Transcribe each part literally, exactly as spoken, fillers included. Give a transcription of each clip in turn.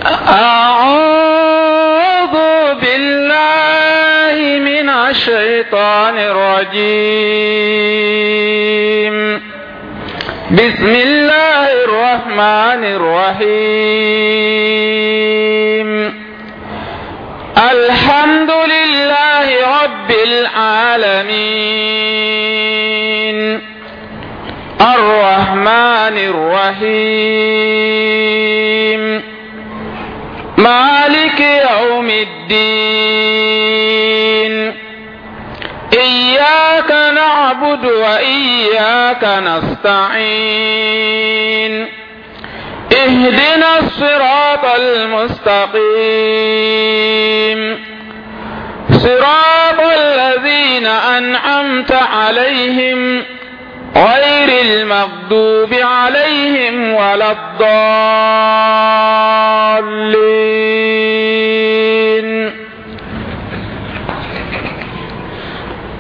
أعوذ بالله من الشيطان الرجيم. بسم الله الرحمن الرحيم. الحمد لله رب العالمين. الرحمن الرحيم. مالك يوم الدين. إياك نعبد وإياك نستعين. اهدنا الصراط المستقيم. صراط الذين أنعمت عليهم غير المغضوب عليهم ولا الضالين.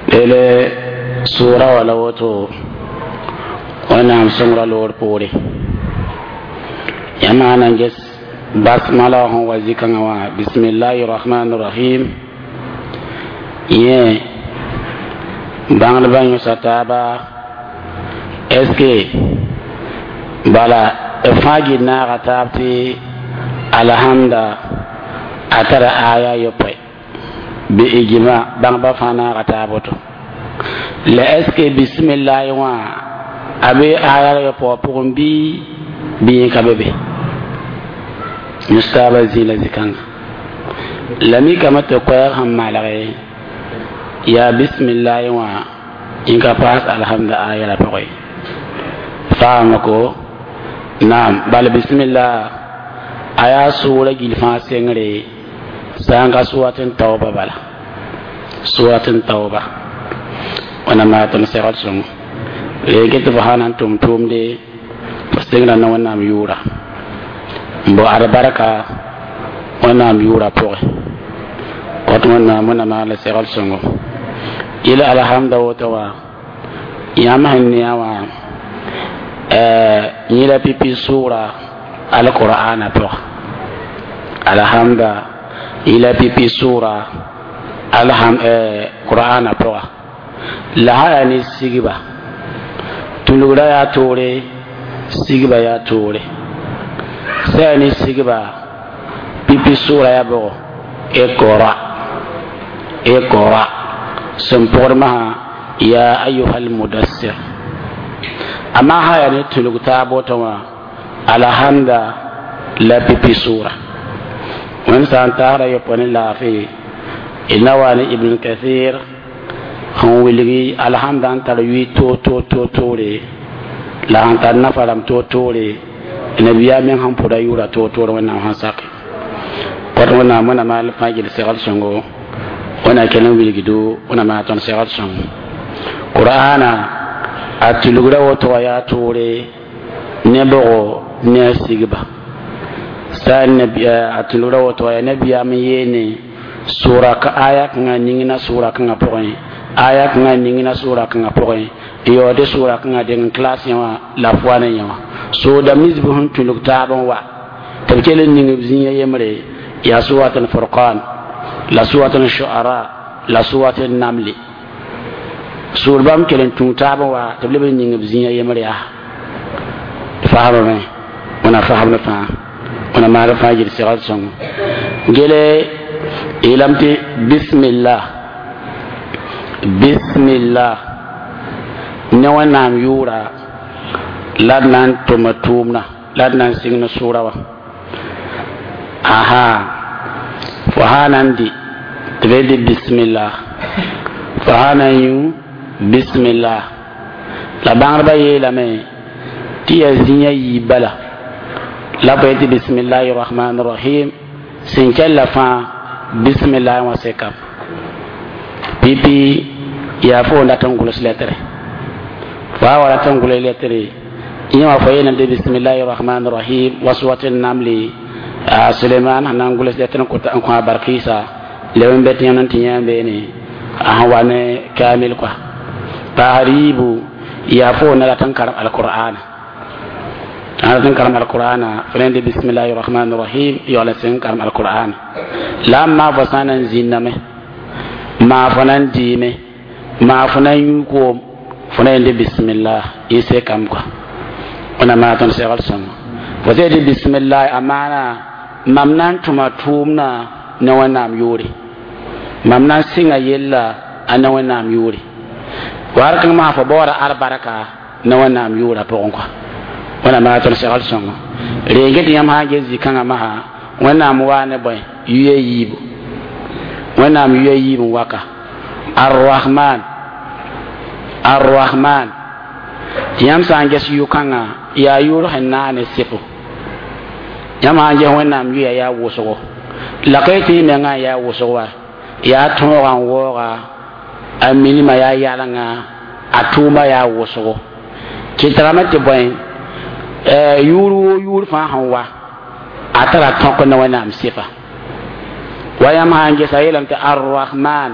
Lele sura wala woto wẽnnaam sõngra loor poore yãmb sã na n ges basmala wã sẽn wa zĩ-kãngã wã bismillahi rahman rahim yẽ bãngdbã yõsa taaba est ce que bala b fãa gil naaga taab tɩ alhamda a tara aya yopoe bi ijma bãngba fãa naaga taab woto la est ce que bisimillahi wã a be aya yopoa pʋgẽ bɩ bɩ yẽ ka be be yõs taaba zĩ la zĩ-kãnga la mikame tɩ koɛɛg sẽn malge yaa bisimillahi wã yẽ ka paas alhamda aya la pʋgẽ faama ko naam bala bisimillah a yaa sʋʋra gil fãa sengre sã n ka surat n taoba bala surat n taoba wẽnnaam maa tõnd segl sõngo ree tɩ fo sã na n tʋm tʋʋmde fo sengra na wẽnnaam yʋʋra n bao albarka wẽnnaam yʋʋra pʋgẽ wat wẽnnaam wẽnnaam maa la segl sõngo yɩl alhamda woto wã yãmb sẽn ne a wã yẽ la pipi sʋʋra alqur'ana pʋga alhamda yẽ la pipi sʋʋra alham qur'ana pʋga la sã yaa ne sigba tũlgra yaa toore sigba yaa toore sã yaa ne sigba pipi sʋʋra yaa bʋgo iqra iqra sẽn pʋgd masã ya ayuha almudassir amma sã yaa ne tũlg taab woto wã alhamda la pipi sʋʋra wẽnd sã n taasda yopoe ne laafɩ d na wa ne ibn kathir sẽn wilgi alhamda n tar yʋɩ toor toor toor toore la sẽn tar nafa rãmb toor toore nabiya meng sẽn pʋda yʋʋra toor toor wẽnnaam sẽn sake wat wẽnnaam wẽnnaam al fãa gil segl sõngo wẽnna kell n wilgdo wẽnnaam maa tõnd segl sõngo qur'ana a tulgra woto wã yaa toore ne bʋgo ne a sigba sã a tulgra woto wã yaa nabiyaam n yeene sʋʋra aya kãngã ningna sʋʋra kãngã pʋgẽ aya kãngã ningna sʋʋra kãngã pʋgẽ n yaoode sʋʋra kãngã deng n class yẽ wã la f wa ne yẽ wã soodam nins bɩ sẽn tũlg taab n wa tɩ b kell n ning b zĩiga yembre yaa surat al-furqan la surat al-shu'ara la surat al-namli sʋʋr bãmb kell n tũu taab n wa tɩ b leb n ning b zĩiga yembre yaa faamame wẽna faamd fãa wẽna maag fãa gil segl sõngo gele yeelame tɩ bismillah bismillah ne wẽnnaam yʋʋra la d na n tʋma tʋʋmdã la d na n sɩng ne sʋʋra wã aha fo sã na n dɩ tɩ b dɩ bismillah fo sã na n yũ bismillah la bãngdbã yeelame tɩ yaa zĩiga yiib bala la fo yetɩ bismillahi rahman rahim sẽn kɛlla fãa bismillah wã sekam pipi yaa fo n dat n gʋls lɛtre fo a wa rat n gʋls lɛtre yẽ wã fo yeelame tɩ bismillahi rahman rahim wa surat namli suleiman sẽn na n gʋls lɛtr n kõ a barkɩɩsa leb n bɛ tɩ yãmb n tɩ yã beene a sẽn wa ne kamil kɔa paasd yiibu yaa fo na rat n karem alqur'ana Tãn karem alqur'ana fo bismillahi rahmani rahim yaool n sẽn karem alqur'an la n maa fo sã n na n zĩnname maa fo na n dɩɩme maa fo na n yũ koom fo na yende bismillah yẽ sekame kɔa wẽnnaam maa tõnd segl sõngo fo sã yetɩ bismillah a maana mam na n tʋma tʋʋmdã ne wẽnnaam yʋʋre mam na n sɩnga yella a ne wẽnnaam yʋʋre war kãng maa fo baooda albarka ne wẽnnaam yʋʋra pʋgẽ kɔa wẽnnaam maa tõnd segl sõngo rengẽ tɩ yãmb sã n ges zĩ-kãngã masã wẽnnaam waa ne bõe yuya yiibu wẽnnaam yuya yiib n waka arrahman arrahman tɩ yãmb sã n ges yʋ-kãngã yaa yʋʋr sẽn naag ne sɩfo yãmb sã n ges wẽnnaam yʋya yaa wʋsgo la ka tɩ y mengã n yaa wʋsg wa yaa tõogã n waooga a minima yaa yalengã a tʋʋma yaa wʋsgo kɩtrame tɩ bõe yʋʋr woo yʋʋr fãa sẽn wa a tara tõk ne wẽnnaam sɩfa wa yãmb sã n gesa yeelame tɩ arrahman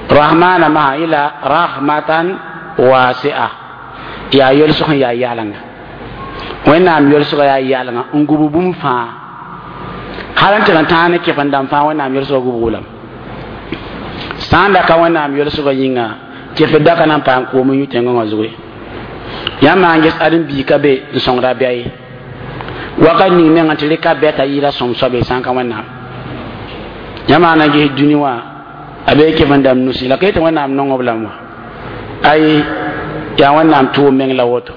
rahmana masã yẽla rahmatan wasi'a yaa yolsg sẽn yaa yalenga wẽnnaam yolsga yaa yalenga n gub bũmb fãa hal n tɩg n tãag ne kɩf-n-dãmb fãa wẽnnaam yolsga gubg lame sã n da ka wẽnnaam yolsga yĩnga kɩf daka na n paam koom n yũ tẽngã wã zugu ye yãmb maan ges ãdem-biig ka be n sõngda bɛa ye wakat ning mengã tɩ rɩka bɛta yɩɩla sõm soabe sã n ka wẽnnaam yãmb maan na ges dũni wã a bee kɩf-n-dãmb nusi la ka yetɩ wẽnnaam nong b lame wã ay yaa wẽnnaam tʋʋm meng la woto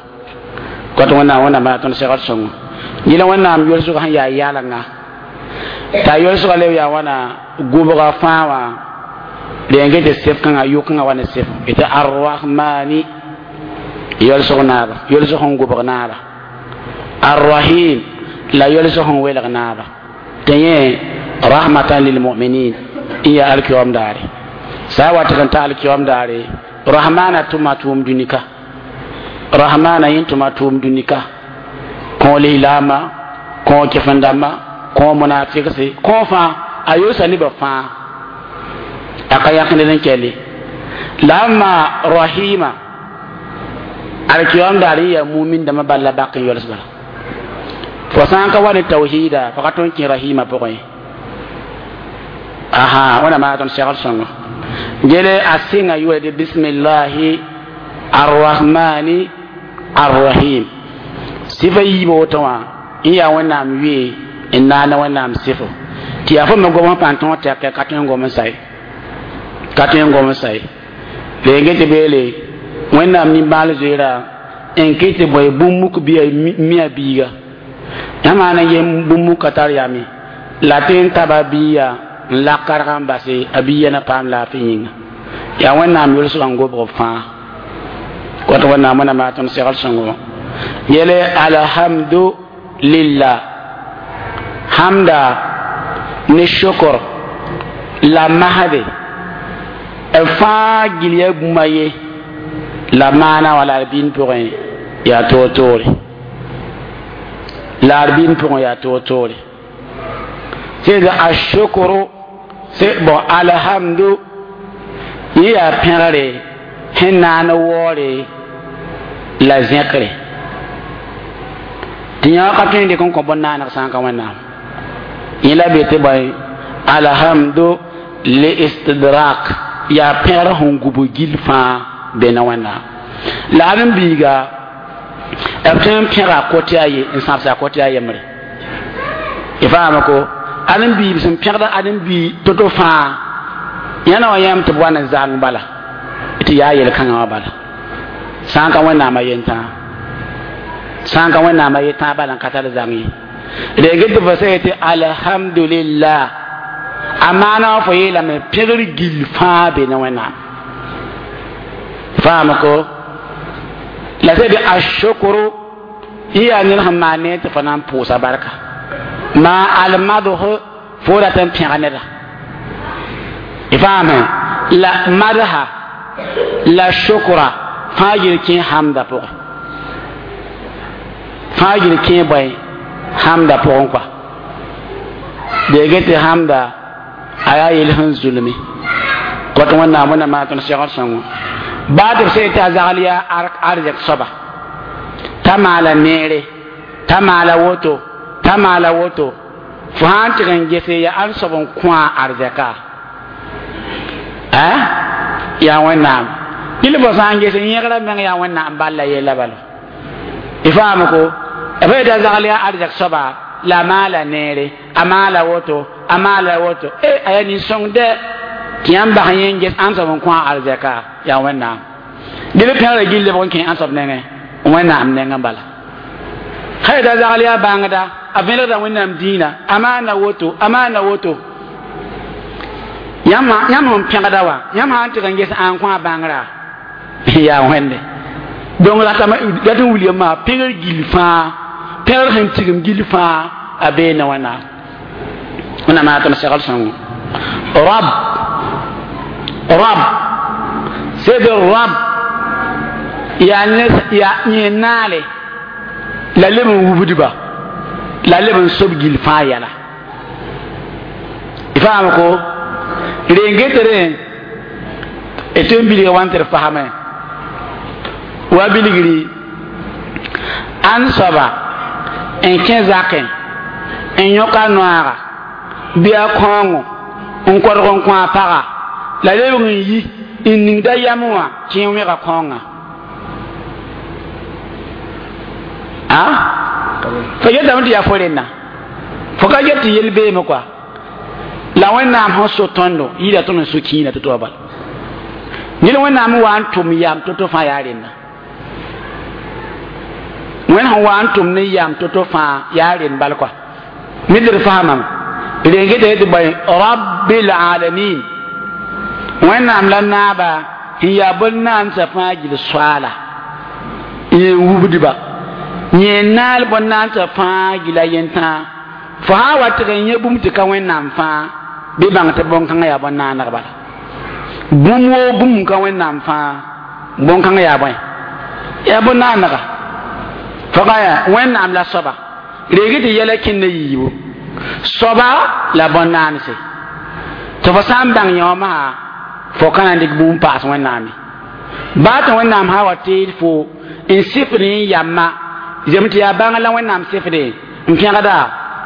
kot wẽnnaam wẽnnaam yaa tõnd segd sõngo yẽla wẽnnaam yolsg sẽn yaa yalenga t'a yolsga leb yaa wãna gʋbga fãa wã rẽn tɩ sɩf kãngã yʋ-kãngã wa ne sɩf tɩ arrahmani yolsg naaba yolsg sẽn gʋbg naaba arrahim la yolsg sẽn welg naaba tɩ yẽ rahmatan lilmuminin n yaa alkiyoom daare sã n wa tɩg n ta alkiyoom daare rahmana tʋma tʋʋm dũnika rahmana yẽ tʋma tʋʋm dũnika kõ lislaama kõ kɩf-n-dãmba kõ munafikse kõ fãa a yolsa nebã fãa a ka yãk ned n kɛle la n maa rahima alkiyom daar yẽ yaa mumin dãmbã bal la bak n yols bala fo sã n ka wa ne tawhida fo ka tõe n kẽ rahima pʋgẽ ye aha wẽnnaam maa tõnd segl sõngo gele a sɩnga yʋʋra tɩ bismillahi arrahmani arrahim sɩfa yiibã woto wã n yaa wẽnnaam yʋe n naana wẽnnaam sɩfo tɩ yaa fo me gom n pãn tõog tɛkɛ ka tõe n gom n sa ye ka tõe n gom n sa ye reng tɩ beele wẽnnaam nimbãal zoeera n kɩ tɩ bõe bũmb muk bɩa mi a biiga yãmb maan n yem bũmb muk ka tar yame la tɩ n taba biiga n lak karg n base a biiga na paam laafɩ yĩnga yaa wẽnnaam yolsgã n gobg b fãa kot wẽnnaam wẽnnaam yaa tõnd segl sõngo yele alhamdu lillah hamda ne shukr la mahade b fãa gil ya bũmb ye la maana wa la r pʋgẽ yaa toor-toore la r pʋgẽ yaa toor-toore sẽd ashukru bon alhamdu yẽ yaa pẽgre sẽn naan waoore la zẽkre tɩ yã ka tõe n dɩk n kõ bõn-naaneg sã n ka wẽnnaam yẽ la be tɩ bõe alhamdu li istidrak yaa pẽgr sẽn gub gil fãa be na wẽnnaam la ãdem-biiga b tõe n pẽga kote a ye n sãbsa kote a yembre y faama ko ãdem-biib sẽn pẽgda ãdem-bii to-to fãa yãna wã yãmb tɩ b wa ne zang bala tɩ yaa yel-kãngã wã bala sã n ka wẽnnaam a yentãa sã n ka wẽnnaam a yetãa bala n ka tar zang ye reng tɩ fo sã yetɩ alhamdulillah a maana wã fo yeelame pẽgr gill fãa be ne wẽnnaam faama ko la sẽd ashukru yẽ yaa ned sẽn maan ne tɩ fo na n pʋʋsa barka ma almadh fo rat n pẽg neda y faame la madha la shukra fãa yel kẽ hamda pʋgẽ fãa yel kẽ bõe hamda pʋgẽ kɔa dee tɩ hamda a yaa yel sẽn zulme kot wẽnnaam wẽnnaam maa tõnd segd sõngo baa tɩ b sã tɩ a zagl yaa arzɛk soaba T'a maala neere, t'a maala woto, t'a maala woto. Fo sã n tɩg n gese yaa ãn soab n kõ a arzɛka a yaa Wẽnnaam. Dɩl fo sã n ges yẽgrã meng yaa Wẽnnaam bal la yella bala. Y faam ko b yeta zagl yaa arzɛk soaba la a maala neere, a maala woto, a maala woto. E a yaa nin-sõng dɛ tɩ yãmb bas yẽ n ges ãn soab n kõ a arzɛka yaa Wẽnnaam. Dɩl pẽgrã gill lebg n kẽ ãn soab nengẽ? Wẽnnaam nengẽ bala. Sã yeta zagl yaa bãngda, a vẽlgda Wẽnnaam dĩinã, a maana woto, a maana woto. Yãmb sẽn pẽgda wã, yãmb sã n tɩg n ges ãn kõ a bãngrã yaa Wẽnde. Donc ratame dat n wilgame maa pẽgr gill fãa, pẽgr sẽn tigim gill fãa a beene Wẽnnaam. Wẽnnaam maa tɩ m segl sõngo. Rab, Rab, sed Rab yaa ne yaa yẽ naale la leb n wubdba la leb n sob gill fãa yɛla. Y faam ko rengetere d tõe n bilga wa n tɩ d fasame wa bilgri ãn soaba n kẽ zakẽ n yõk a noaaga bɩ a kõongo n kɔdg n kõ a paga la lebg n yi n ningda yam wã tɩ yẽ wẽga kõongã a fo yetame tɩ yaa fo rẽnna, fo ka get tɩ yel beeme kɔa. La Wẽnnaam sẽn so tõndo yɩɩda tõnd n so kĩinã tɩ-to bala. Ned Wẽnnaam wa n tʋm yam to-to fãa yaa rẽnna. Wẽnd sẽn wa n tʋm ne yam to-to fãa yaa rẽnd bal kɔa. Ned d faamame rengeta tɩ bõe Rabbil alamin. Wẽnnaam la naaba sẽn yaa bõn-naandsã fãa gill soaala yẽ wubdba yẽ naal bõn-naandsã fãa gilla yentã. Fo sã n wa tɩg n yẽ bũmb tɩ ka Wẽnnaam fãa bɩ bãng tɩ bõn-kãngã yaa bõn-naaneg bala. Bũmb woo bũmb ka Wẽnnaam fãa bõn-kãngã yaa bõe? Yaa bõn-naanega. Fo ka yaa Wẽnnaam la soaba reeg tɩ yɛla kẽnd yiibu soaba la bõn-naanse. Tɩ fo sã n bãng yẽ wã masã fo ka na n dɩk bũmb paas Wẽnnaam ye. Baa tɩ Wẽnnaam sã wa teed fo n sɩfd n yamma zem tɩ yaa bãng la Wẽnnaam sɩfde n pẽgda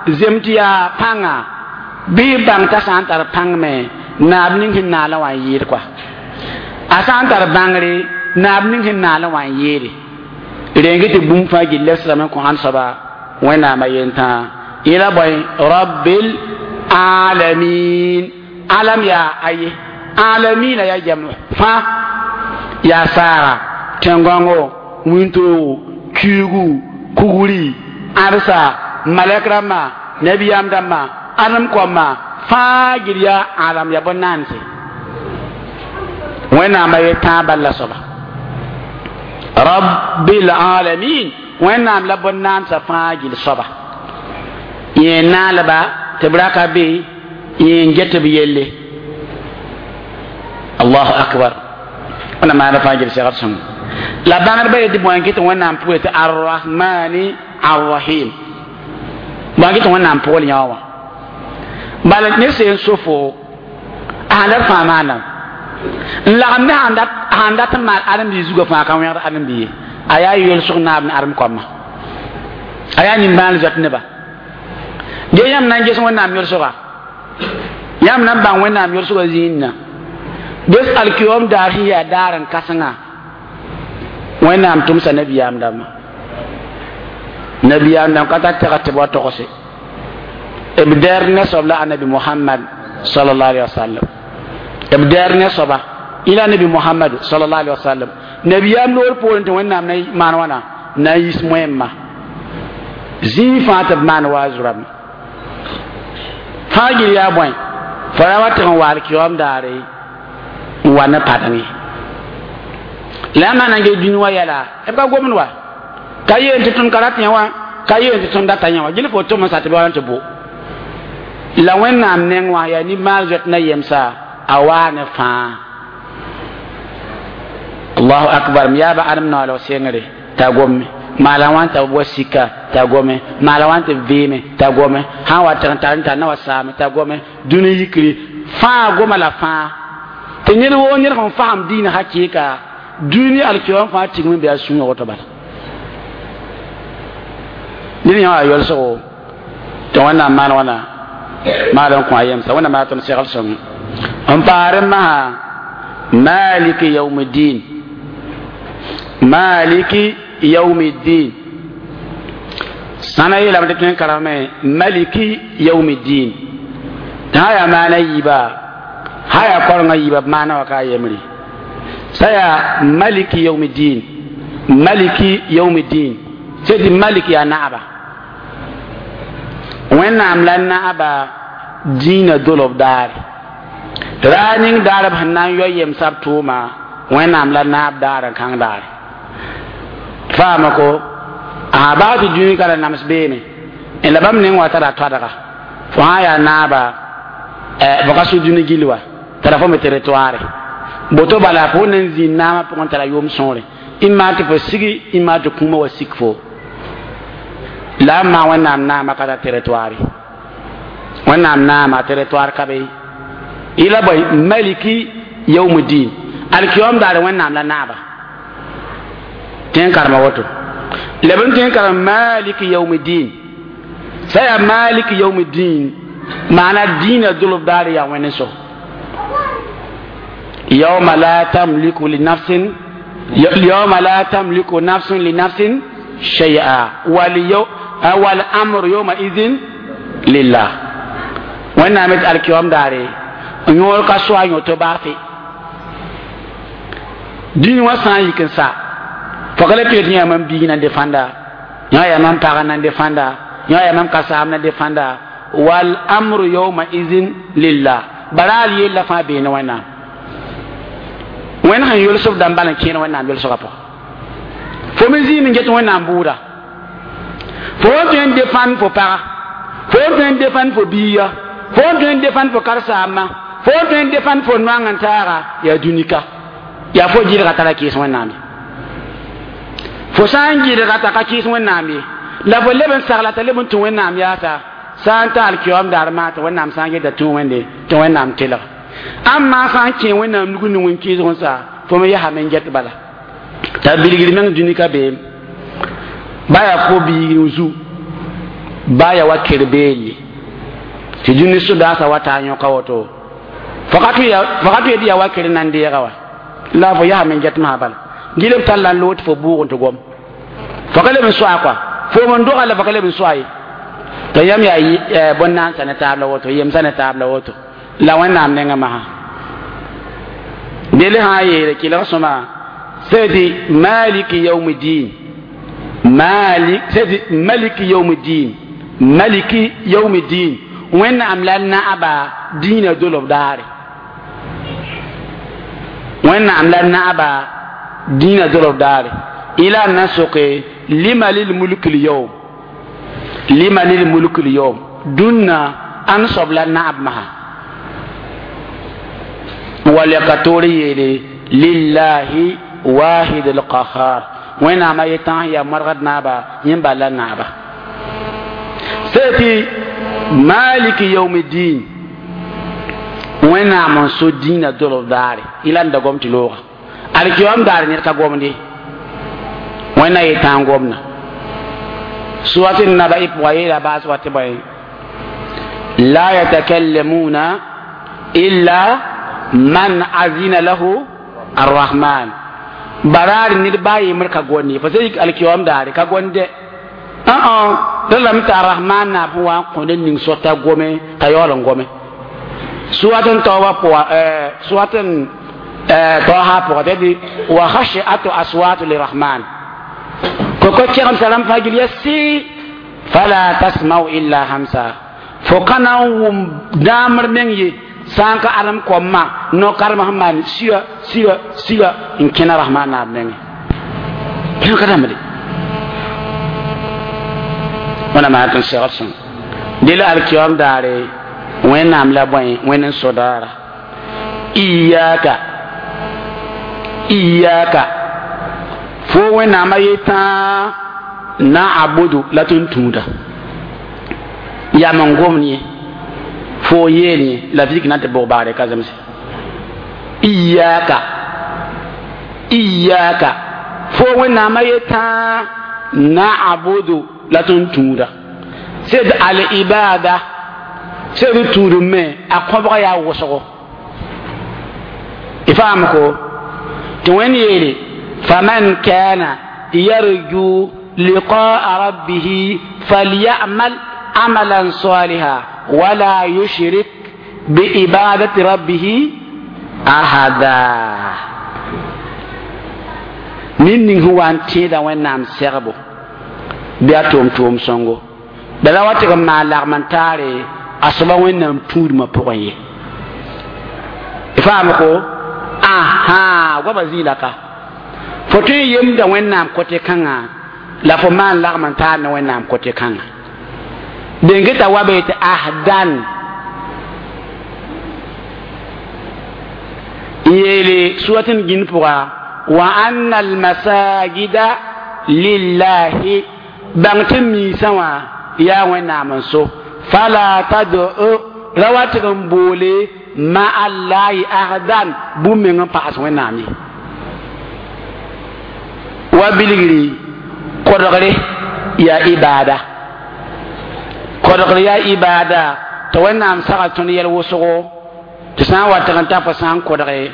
zem tɩ yaa pãnga bɩ bãng t'a sã n tar pãng me naab ning sẽn naalã wã n yɩɩd kɔa. A sã n tar bãngre naab ning sẽn naalã wã n yɩɩde. Reng tɩ bũmb fãa gill lebsdame n kõ ãnd soaba Wẽnnaamã yentã. Yẽla bõe Rabbil alamin. Alam yaa aye, alamina yaa jam fãa, yaa saaga, tẽn-gãngo, wĩntoogo, kiigu, kugri, ãdsa, malɛk rãmbã, nabiyaam dãmbã, ãdem kõmma fãa gill yaa alam yaa bõn-naanse. Wẽnnaamã yetãa bal la soaba Rabbil alamin. Wẽnnaam la bõn-naandsã fãa gill soaba yẽ naalba tɩ b raka be yẽ n get b yelle. Allahu akbar. Wẽnnaam maana fãa gill segd sõngo. La bãngdbã yetɩ bõe n kɩ tɩ Wẽnnaam pʋgẽ tɩ Arrahmani Arrahim, bõe n kɩ tɩ Wẽnnaam pʋgl yã wã bala ne sẽn so fo a sãn dat fãa maanam n lagem ne sãn dat n maan ãdem-biig zugã fãa ka wẽgd ãdem-biig ye. A yaa yolsg naab ne ãdem koamã, a yaa nimbãan zoet neba. Ge yãmb na n ges Wẽnnaam yolsga, yãmb na n bãng Wẽnnaam yolsgã zĩigna ges alkiyoom daar sẽn yaa daar n kãsenga Wẽnnaam tʋmsa nabiyaam dãmbã. Nabiyaam dãmb ka tar tɛgd tɩ b wa togse b dɛɛr ne soab la anabi Muhammad sallallahu alaihi wasallam. B dɛɛr ne soaba ila anabi Muhammad sallallahu alaihi wasallam. Nabiyaam loor poorẽ tɩ Wẽnnaam na maan wãna na n yis moẽmma zĩig fãa tɩ b maan wa a zurame fãa gill yaa bõe fo ra wa tɩg n wa alkiyoom daare n wa ne padeng ye. La yãmb na n ges dũni wã yɛla b ka gomd wa ka yeen tɩ tõnd ka rat yã wã, ka yeen tɩ tõnd data yã wã gill fo tʋm n sa tɩ b wa tɩ bo la Wẽnnaam neng wã yaa nimbãan zoet na yemsa a waa ne fãa. Allahu akbar. M yaaba ãdem naoolg sengre t'a gome maala wã t'a wa sika t'a gome maala wã tɩ vɩɩme t'a gome sã n wa tɩg n tar n tar na wa saame t'a gome dũni yikri fãa goma la fãa tɩ ned woo ned sẽn fasem diinã hakɩɩka dũni alkiyoom fãa tigme bɩ a sũurã woto bala. Ned yã wa yolsgo tɩ wẽnnaam maan wãna maal n kõ a yemsa wẽnnaam maa tõnd segl sõng n paar n masã maliki yaumiddin maliki yaumiddin sãna yeelame tɩ tõe n karame maliki yaumiddin tɩ sã yaa maana yiiba sã yaa korengã yiiba b maana wa ka a yembre sã yaa maliki yaumiddin maliki yaumiddin sẽd malik yaa naaba wẽnnaam la naaba dĩinã dolob daare raa ning daar b sẽn na n yao yemsa b tʋʋma wẽnnaam la naab daar n kãng daare faama ko a baa tɩ dũni ka la nams beene n la bãmb neng wa tara toadga fo sã yaa naaba fo ka sʋ dũni gill wa tara fo me territoire boto bala fo nan zĩnd naamã pʋgẽ tara yʋʋm sõore ɩma tɩ fo sigi ɩma tɩ kũumã wa sik fo la n maa wẽnnaam naamã ka tar territoire wẽnnaam naama territoire ka be yɩla bõe maliki yaumdin alkiyom daare wẽnnaam la naaba tẽn karema woto la b n tõe n karem maliki yaumdin sã yaa maliki yaumdin maana dĩinã dolb daare yaa wẽnd so yawma la tamliku li nafsin yawma la tamliku nafsun li nafsin shay'a wal yaw wal amru yawma idhin lillah wẽnnaam d alkiyom daare yõor ka soa yõ tɩ baafe dĩn wã sã n yik n sa fo ka le tɩ yã mam biig nan defãnda yã yaa mam pag nan defãnda yã yaa mam kasaam nan defãnda wal amru yawma idhin lillah baraal yella fãa beene wẽnnaam wẽnd sẽn yʋlsb dãmb bal n kẽer wẽnnaam yʋlsgã pʋgã fo me zĩim n get wẽnnaam bʋʋda fo n tõe n defãnd fo paga fo n tõe n defãnd fo biiga fo n tõe n defãnd fo karsaamã fo n tõe n defãnd fo noang n taaga yaa dũnika yaa fo gɩdga tara kɩɩs wẽnnaam ye fo sã n gɩdga t'a ka kɩɩs wẽnnaam ye la fo leb n sagla t'a leb n tũ wẽnnaam yaasa sã n ta alkiyom daar maa tɩ wẽnnaam sã n geta tũ wẽnde tɩ wẽnnaam telg ãmma sã n kẽ wẽnnaam nug ne wẽn kɩɩsg n sa fo me yaa me get bala t'a bilgr meng dũnika beem ba yaa ko biig zu ba yaa wa ker beelle tɩ dũni sodaasã wa taa yõka woto fo ka tʋ tɩ yaa wa ker nan deega wa la fo yaa me get maa bala gil b tall la n loog tɩ fo bʋʋg n tɩ gom fo ka leb n soa kɔa fo n doga la fo ka leb n soa ye tɩ yãmb yaa bõn-naansa ne taab la woto yemsa ne taab la woto la wẽnnaam nengã masã del sã n yeele kɩlg sõma sẽd maliki yaumdin malik sẽd maliki yaumdin maliki yaumdin wẽnnaam la naaba dĩinã dolob daare wẽnnaam la naaba dĩinã dolob daare ila n na soke lima lilmulk lyawm lima lilmulk lyawm dũnna ãn soab la naab masã wala ka toor yeele lillahi wahid alqahar wẽnnaam a yetãs yaa modgd naaba yẽ bal la naaba sẽti maliki yaumdin wẽnnaam n so dĩinã dolb daare yɩla n da gom tɩ looga alkiyom daare ned ka gomde wẽnna yetã n gomna suwat n naba y pʋga yeela baas wa tɩ bõe la yatakallamuna illa man azina lahu arrahman baraar ned baa yembr ka gonni fo sẽn yik alkiyom daare ka gonde ã lame tɩ arrahman naab sẽn wa n kõ ned ning sota gome t'a yaool n gome suwat n taoobã pʋga suwat n taoosã pʋga tɩ tɩ wa khashiatu aswatu lirahman koko kɛgemsa rãmb fãa gil ya sɩ fala tasmau illa hamsa fo ka na n wʋm dãamr meng ye sã n ka alem koamã no-karemã sẽn maan siga siga siga n kẽna rahman naab nengẽ kẽn ka dãmbde wẽnnaam yaa tɩ n segd sõng del alkiyom daare wẽnnaam la bõe wẽnd n so daara iyaka iyaka fo wẽnnaamã yetã naabudu la tɩ n tũuda yam n gomd yẽ fo yeel yẽ la vik na tɩ bʋg baagre ka zemse iyaka iyaka fo wẽnnaamã yetã naabudu La tõnd tũuda sed al ibada sed tũudum me a kõbga yaa wʋsgo y faam ko tɩ wẽnd yeele faman kana yarju liqaa rabbihi falyamal amalan saliha wala yushrik biibadati rabbihi ahada ned ning sẽn wa n tẽeda wẽnnaam segbo bɩ a tʋʋm tʋʋm sõngo bala wa tɩg n maan lagm n taare a soaba wẽnnaam tũudmã pʋgẽ ye y faam ko aha goama zĩila ka fo tõe n yemda wẽnnaam kote kãngã la fo maan lagm n taar ne wẽnnaam kote kãngã den geta wa be tɩ ahdan n yeele surat n gĩnd pʋga wa anna almasajida lillahi bãng tɩ miisã wã yaa wẽnnaam n so fala tad'u ra wa tɩg n boole ma allahi ahdan bũmb meng n paas wẽnnaam ye wa bilgri kodgre yaa ibada kodgre yaa ibada tɩ wẽnnaam sagl tõnd yɛl wʋsgo tɩ sã n wa tɩg n ta fo sã n kodge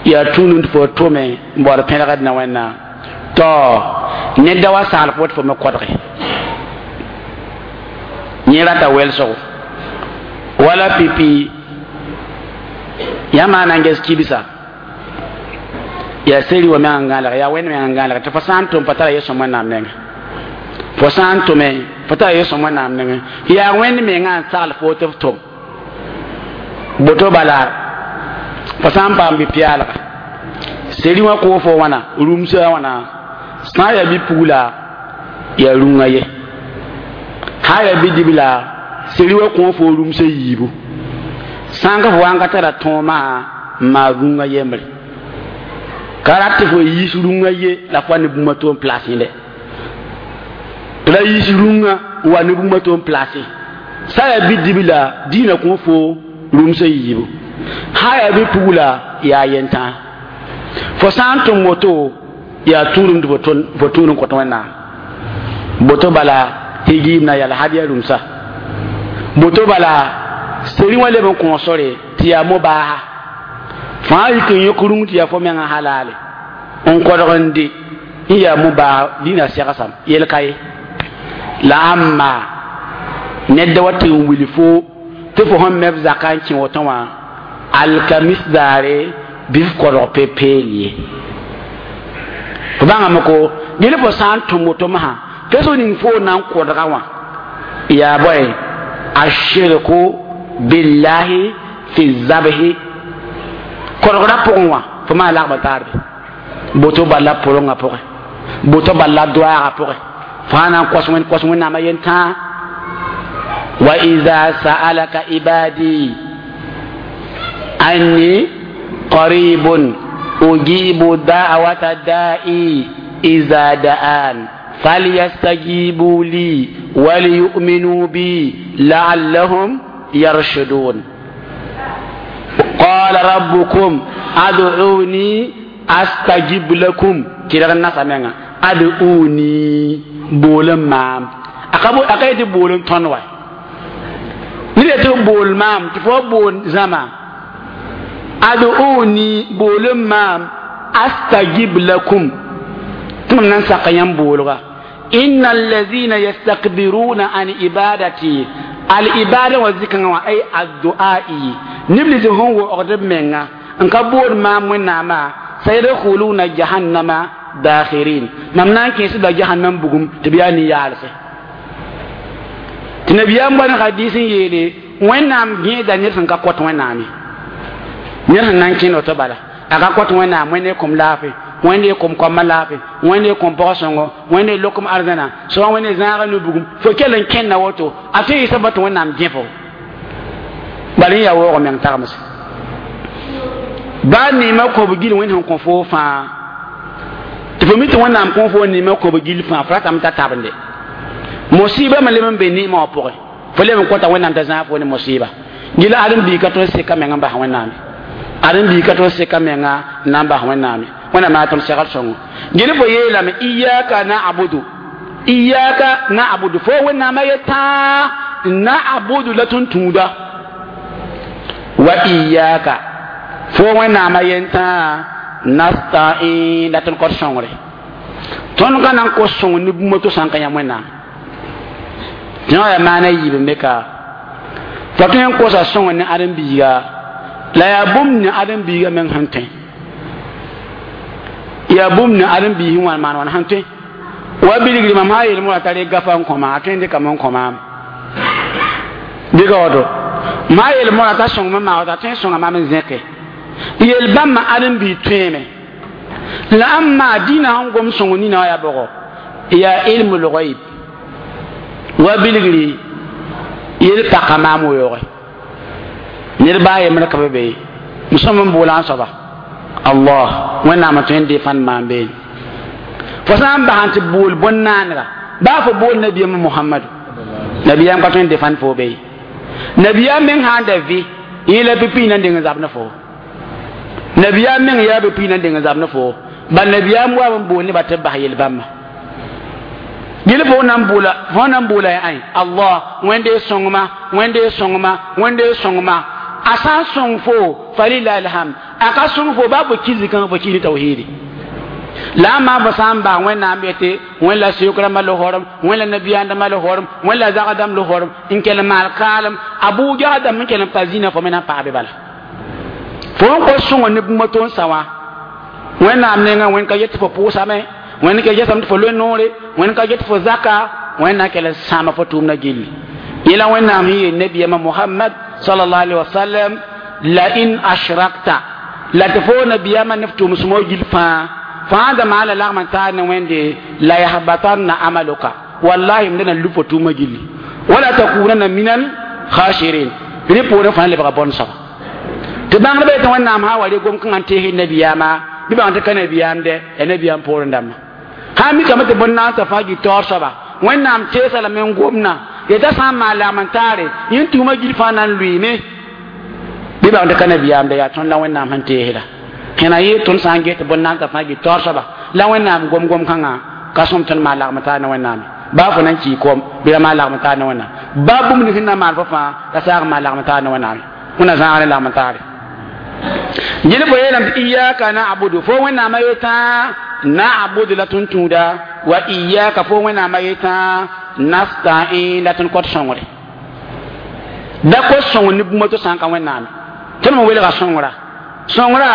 yaa tũud tɩ fo tʋme n baood pẽlgd na wẽnnaam tɔ ned da wa sagl fo tɩ fo me kodge yẽ rata wɛlsgo wala pipi yãmb na n ges kibsa yaa seri wa meng n gãalega yaa wẽnd meng n gãalega tɩ fo sã n tʋm fo tara yel-sõm wẽnnaam nengẽ fo sã n tʋme fo tara yel-sõm wẽnnaam nengẽ yaa wẽnd mengã n sagl fo tɩ f tʋm boto bala fo sã n paam bi-pɛaalga seri wã koo fo wãna rũmsa wãna sã n yaa bi-pugla yaa rũngã ye sã n yaa bi-dibla seri wã kõ fo rũmsa yiibu sã n ka fo wa n ka tara tõomã n maa rũngã yembre ka rat tɩ fo yiis rũngã ye la fo wa ne bũmb to n place yẽle tɩ la yiis rũngã n wa ne bũmb to n place sã yaa bi-dibla dĩinã kõ fo rũmsa yiibu sã yaa bi-pugla yaa yentã fo sã n tʋm woto yaa tũudum tɩ fo tũud n kõt wẽnnaam boto bala higiim na yala had yaa rũmsa boto bala seri wã leb n kõ sore tɩ yaa mobaaha fãa yik n yõk rũng tɩ yaa fo mengã halale n kodg n dɩ n yaa mobaaha dĩinã segsam yel ka ye la ãmba ned da wa tɩ n wil fo tɩ fo sẽn meb zaka n kẽ woto wã alkamis daare bɩ f kodg pe-peel ye fo bãngame ko gel fo sã n tʋm woto masã peso ning fo na n kodga wã yaa bõe ashirku billahi fi zabhi kodgrã pʋgẽ wã fo maa lagma taarbe boto bala pʋrengã pʋgẽ boto bala doaagã pʋgẽ fãa na n kos wẽnd kos wẽnnaamã yentãa wa ida sa'alaka ibadi anni qaribun ujibu da'wata da'i iza da'an فليستجيبوا لي وليؤمنوا بي لعلهم يرشدون قال ربكم ادعوني استجب لكم كده الناس امنا ادعوني بولم مام akabo akayete boolem tõnd wa ned tɩ bool maam tɩ fo bool zãma ad'uni boolem maam astajib lakum tɩ mam na n sak yãmb boolga inna alladhina yastakbiruna an ibadati al ibada wa zikanga wa ay addu'ai nibli tɩ sẽn waoogd b menga n ka bood maam wẽnnaamã sayadkhuluna jahannama dakhirin mam na n kẽesd la jahannam bugum tɩ b yaa nin-yaalse tɩ nabiyaam bõn hadis n yeele wẽnnaam gẽeda ned sẽn ka kõt wẽnnaam ye ned sẽn na n kẽnd woto bala a ka kõt wẽnnaam wẽnde kom laafɩ wẽnde kom koamã laafɩ wẽnde kom pɔg-sõngo wẽnde lokom arzãna soa wẽnde zãaga nu-bugum fo kell n kẽnda woto a tõe n yɩsa tɩ wẽnnaam gẽ fo bala yẽ yaa waoog meng tagmse baa neemã kõb gil wẽnd sẽn kõ foo fãa tɩ fo mi tɩ wẽnnaam kõ fo neemã kõb gil fãa fo ratame t'a tabende musiba me leb n be neemã wã pʋgẽ fo leb n kõta wẽnnaam t'a zãag fo ne musiba gila ãdem-biig ka tõe n seka meng n bas wẽnnaame ãdem-biig ka tõe n seka menga n na n bas wẽnnaame wẽnnaam yaa tõnd segl sõngo gel fo yeelame iyaka na'budu Iyyaka na'budu fo wẽnnaamã yetã na'budu la tõnd tũuda wa iyyaka fo wẽnnaamã yentã nasta'in la tõnd kõt sõngre tõnd ka na n kos sõng ne bũmb to sã n ka yãmb wẽnnaam tɩ yaa maana yiib n be ka fo tõe n kosa sõng ne ãdem-biiga la yaa bũmb ne ãdem-biiga meng sẽn tõe yaa bũmb ne ãdem-biig sẽn wa n maan wãn sẽn tõe wa bilgri mam sã yeel moa t'a rek gafa n kõ ma a tõe n dɩkame n kõ maam dɩka woto ma yeel moa t'a sõng me maa a tõe n sõnga mam n zẽke yel bãmba ãdem-biig tõeeme la ãmba dĩinã sẽn gom sõng nina wã yaa bʋgɔ yaa ilmul ghaib wa bilgri yel paka maam weooge ned baa yembr ka be be sõm n boola n soaba allah wẽnnaam n tõe n defãnd maam beene fo sã n bas n tɩ bool bõn-naanega baa fo bool nabiyaam mohamadu nabiyaam ka tõe n defãnd fo be nabiyaam meng sã n da vɩ yẽ la pipi na n deng n zab ne fo nabiyaam meng yaa pipi na n deng n zab ne fo bal nabiyaam wa n bool nebã tɩ b bas yel-bãmba gil fo nan boola fo nan boola ya ai allah wẽnde sõngma wẽnde sõngma wẽnde sõngma a sã n sõng fo falilahi alhamd a ka sõng fo baa fo ki zikãng fo ki ne tawhidi la a maa fo sã n bas wẽnnaam yetɩ wẽn la sʋk-rãmbã losorem wẽn la nabiyaandãmbã losorem wẽn la zagdãmb losorem n kell n maal kaalem a bʋʋ dãmb n kell n pa zĩnã fo me na n paas be bala fo n kos sõngo ne bũmb to n sa wã wẽnnaam nengã wẽn ka yet tɩ fo pʋʋsame wẽnd ka gesame tɩ fo loe noore wẽnd ka get fo zaka wẽnd na n kell n sãama fo tʋʋmdã gilli yẽla wẽnnaam sẽn yeel nabiyamã mohamad sallallahu alaihi wasallam la in ashrakta la tɩ fo nabiyamã ne f tʋʋm sõmg gil fãa fãa da maa la lagm n taar ne wẽnde la yahbatanna amaluka wallahi m na lub fo tʋʋmã gilli wala takunanna minal khashirin rẽ poorẽ fãa lebga bõn soaba tɩ bãngdbã yetɩ wẽnnaam sã wa re gom-kãngã n tees nabiyaamã bɩ bãng tɩ ka nabiyaam dɛ ya nabiyaam poorẽ dãmbã sã n mikame tɩ bõn-naansa fãa gɩ taoor soaba wẽnnaam teesa lame n gomna yeta sã n maan lagm n taare yẽn tʋʋmã gil fãa na n lʋɩɩme bɩ bãng tɩ ka nabiyaam dɛ yaa tõnd la wẽnnaam sẽn teesda kẽna yɩ tõnd sã n get tɩ bõn-naansa fãa gɩ taoor soaba la wẽnnaam gom-gom-kãngã ka sõm tõnd maan lagm n taar ne wẽnnaame baa fo na n kii kom bɩ ra maan lagm n taar ne wẽnnaam baa bũmb ning sẽn na n maan fo fãa la saag n maan lagm n taar ne wẽnnaame wẽnna zãag ne lagm n taare gil fo yeelame tɩ iyaka na'budu fo wẽnnaamã yetã na'budu la tõnd tũuda wa iyaka fo wẽnnaamã yetã nasta'in la tõnd kõt sõngre da kos sõng ne bũmb to sã n ka wẽnnaame tõnd me welga sõngra sõngra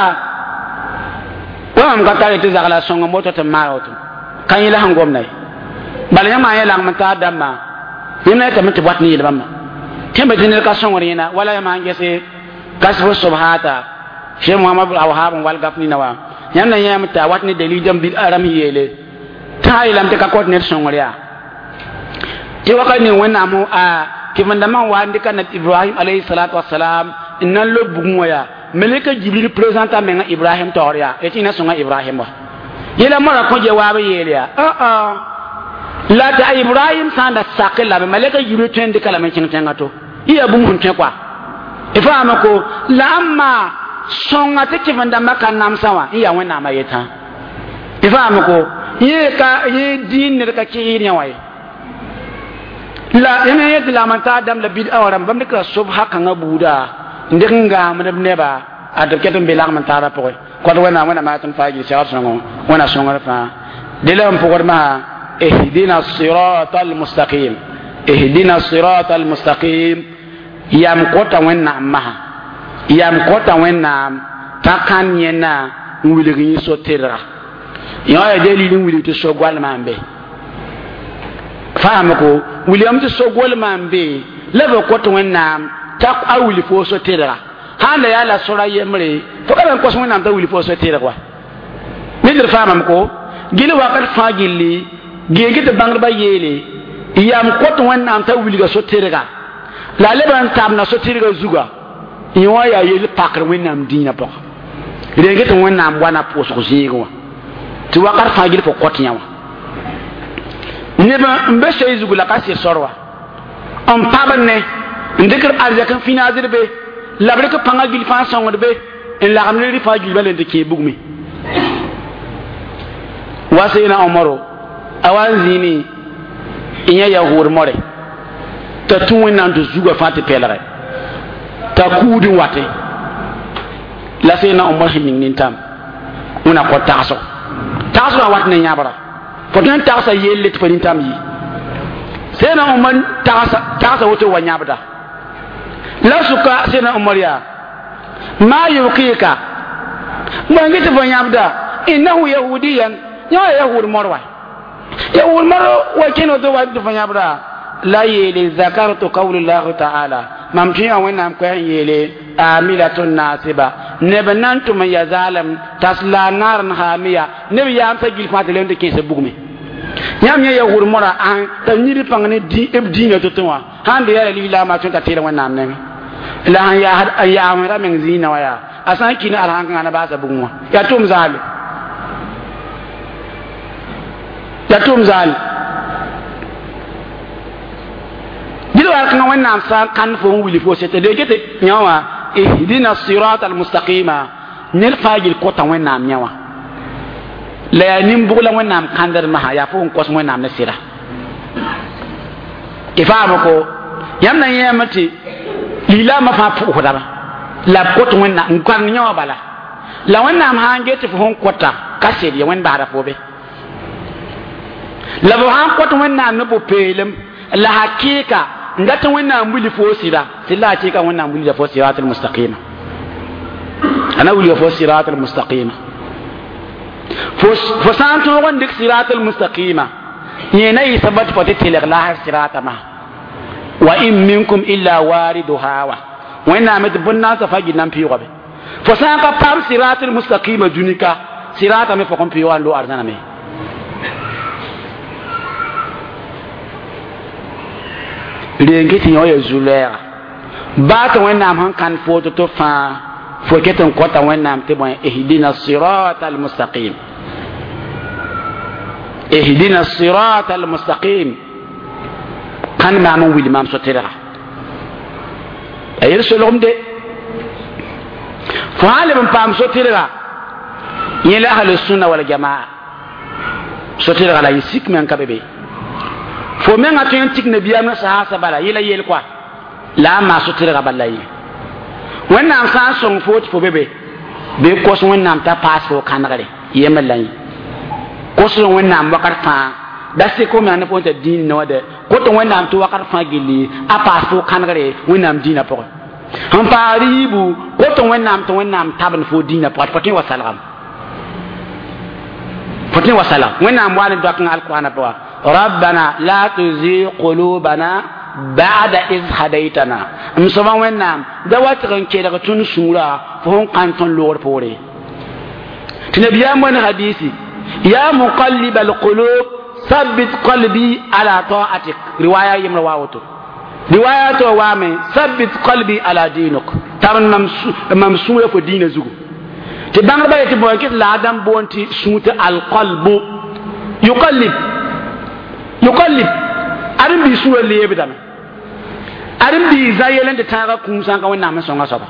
wa mam ka tar tɩ zagla sõng moto tɩ maan woto ka yẽ la sẽn gomda ye bala yãmb maa yẽ lagm n taar dãmbã yẽmb na yetame tɩ wat ne yel-bãmba tẽmbe tɩ ned ka sõngr yẽna wala yãmb sãn gese kasf sobhata cheikh mohamad awhab n wal gaf nina wã yãmb na yãame t'a wat ne dalil dãmb bil aram yeele tɩ sã yeelame tɩ ka kõt ned sõngr yaa tɩ wakat ning wẽnnaam a kɩvendãmbã n wa n dɩka nab ibrahim alayhi salatu wasalam n na n lob bugẽ wã yaa malika jibril présente a menga ibrahim taoor yaa tɩ na sõnga ibrahim wa yẽla mora kõ jawaab yeel yaa la tɩ a ibrahim sã n da sak lame malika jibril tõe n dɩka lame n kẽng tẽngã to yɩ yaa bũmb sẽn tõe koa y faama ko la ãmba sõnga tɩ kɩvendãmbã ka namsã wã n yaa wẽnnaamã yetã y faama ko yẽ ka yẽ dĩin ned ka kɩɩd yã wã ye la yãmb yẽ tɩ lagm n taar dãmb la bid-a wã rãmb bãmb dɩkra sobsa kãngã buuda n dɩk n gaamd b neba a tɩ b ket n be lagm n taarã pʋgẽ kõt wẽnnaam wẽnnaam yaa tõnd faa gil segr sõngo wẽna sõngr fãa dẽ la n pʋgd masã ihdina sirata almustaqim ihdina sirata almustaqim yam kõta wẽnnaam masã yam kõta wẽnnaam t'a kãn yẽnna n wilg yẽ so-tedga yõ yaa dalil n wilg tɩ so-goalmã n be faam ko wilgame tɩ so-goalmã n be la b kõt wẽnnaam t'a a wilg fo so-tedga sãn da yaa la sora yembre fo ka n kos wẽnnaam t'a wilg fo so-tedg wa ned d faamame ko gil wakat fãa gilli geeg tɩ bãngdbã yeele yam kõt wẽnnaam t'a wilga so-tedga la a leb n tabna so-tedga zuga yẽ wã yaa yel pakr wẽnnaam dĩinã pʋgã reng tɩ wẽnnaam wa na pʋʋsg zĩigẽ wã tɩ wakat fãa gil fo kõt yã wã neb n be soe zugu la ka sɩd sor wa n pabd ne n dɩkr arzɛk n finaasd be la b rɩk pãngã gil fãa sõngd be n lagem ne rɩ fãa gilbã len tɩ kẽe bugme wa seena omaro a wa n zĩini n yã yahood more t'a tũ wẽnnaam tɩ zugã fãa tɩ pɛlgɛ t'a kuud n wate la sẽn na Omar sẽn ning nintam wẽna kõ tagsgo tagsgã wat ne yãbra fo tõe n tagsa yelle tɩ fo nintam yi sẽn na Omar tagsa tagsa woto wa yãbda la suka sẽn na Omar yaa ma yubkika bõe tɩ fo yãbda innahu yahudiyan yã wa yahud mor wa yahud mor wa kẽn woto wa tɩ fo yãbda la yeele zakartu qawlullahi taala mam tɩ yã wẽnnaam koɛs n yeele amilatun nasiba neb nan tʋm n ya zaalem tasla naran hamiya neb yaamsã gil fãa tɩ lem tɩ kẽesa bugme yãmb yã yahud mora ãn t'a yĩd pãng ne b dĩinã to-to wã sãn be yaa la lislaamã tõe t'a teel wẽnnaam nengẽ la sẽn yaa n yaa ra meng zĩinã wã yaa a sã n kɩ ne alhãnkãngã na baasa bugum wã yaa tʋm zaale yaa tʋm zaale dɩl war kãngã wẽnnaam sã n kãnd fo n wilg fo sete de get yã wã ihdina sirat almustaqima ned fãa gil kota wẽnnaam yã wã la yaa nin-bʋg la wẽnnaam kãndd masã yaa fo n kos wẽnnaam ne sɩda tɩ faama ko yãmb na yẽeme tɩ lislaamã fãa pʋʋsdame la b kot wẽnnaam n kãnd yã wã bala la wẽnnaam sã n get tɩ fo sẽn kota ka sed ya wẽnd basda fo be la fo sã n kot wẽnnaam ne pʋ-peelem la hakɩɩka n dat wẽnnaam wilg fo sɩda sɩd la hakɩɩka wẽnnaam wilga fo sirat almustaqima a na wilga fo sirat almustaqima fo sã n tõog n dɩk sirat almustaqima yẽ na yɩ sabab tɩ fo tɩ tɩlg laasr sirata masã wa in minkum illa wariduha wa wẽnnaam tɩ bõn-naasã fa gil na n pɩʋʋga be fo sã n ka paam sirat almustaqima dũni-ka sirata me fo kõn pɩʋʋga n lo arzãna me reng tɩ yõ ya zu-lɛɛga baa tɩ wẽnnaam sẽn kãnd fo to-to fãa fo ket n kõta wẽnnaam tɩ bõe ihdina sirat almustaqim ihdina sirat almustaqim kãnd maam n wil maam so-tɩrga a yel solgem de fo sã n leb n paam so-tɩrga yẽ la ahlusunna waljamaa so-tɩrga la yẽ sik me n ka be be fo menga tõe n tik nabiyaam ne saasa bala yela yel kɔa la a maa so-tɩrga bala la ye wẽnnaam sã n sõng fo tɩ fo be be bɩ kos wẽnnaam t'a paas fo kãnegre yembr la yẽ kosd wẽnnaam wakat fãa da sek fo meng ne fo t'a dĩin ne wã de kot wẽnnaam tɩ wakat fãa gilli a paas fo kãnegre wẽnnaam dĩinã pʋgẽ sẽn paasd yiibu kot wẽnnaam tɩ wẽnnaam tabend fo dĩinã pʋgẽ tɩ fo tõe wa salgame fo tõe wa salgam wẽnnaam wa ne doak n alkoorã pʋga ربنا لا تزغ قلوبنا بعد إذ هديتنا m soaba wẽnnaam da wa tɩg n kelg tõnd sũurã fo sẽn kãn tõnd loogr poore tɩ nabiyaam wẽnd hadisi ya muqallib alqulub thabbit qalbi ala ta'atik riwaya yembrã wa woto riwaya to waame thabbit qalbi ala dinuk tar mam sũurã fo diinã zugu tɩ bãngdbã yetɩ bõe kɩt la a dãmb boond tɩ sũur tɩ alqalbu yuqallib yuqallib ãdem bii sũurã leebdame ãdem bii zã yel n tɩ tãagã kũum sã n ka wẽnnaam n sõnga soaba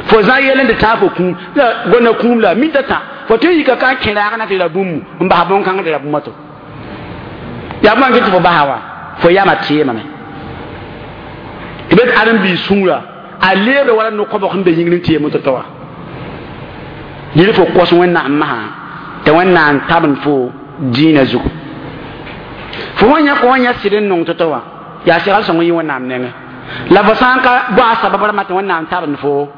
fo zã yel n tɩ tãag fo kũum la gona kũum la minta tã fo tõe n yika ka n kẽ raag na tɩ ra bũmb n bas bõn-kãng tɩ ra bũmb to yaa bõe tɩ fo basa wã fo yama teemame tɩ be tɩ ãdem bii sũurã a leebda wala no-kõbg sẽn be yĩngr n teem to-to wã yel fo kos wẽnnaam masã tɩ wẽnnaam tabend fo dĩinã zugu fo wã yã kõ yã sɩd n nong to-to wã yaa segl sõng n yɩ wẽnnaam nengẽ la fo sã n ka bao a sabab rãmbã tɩ wẽnnaam tabend fo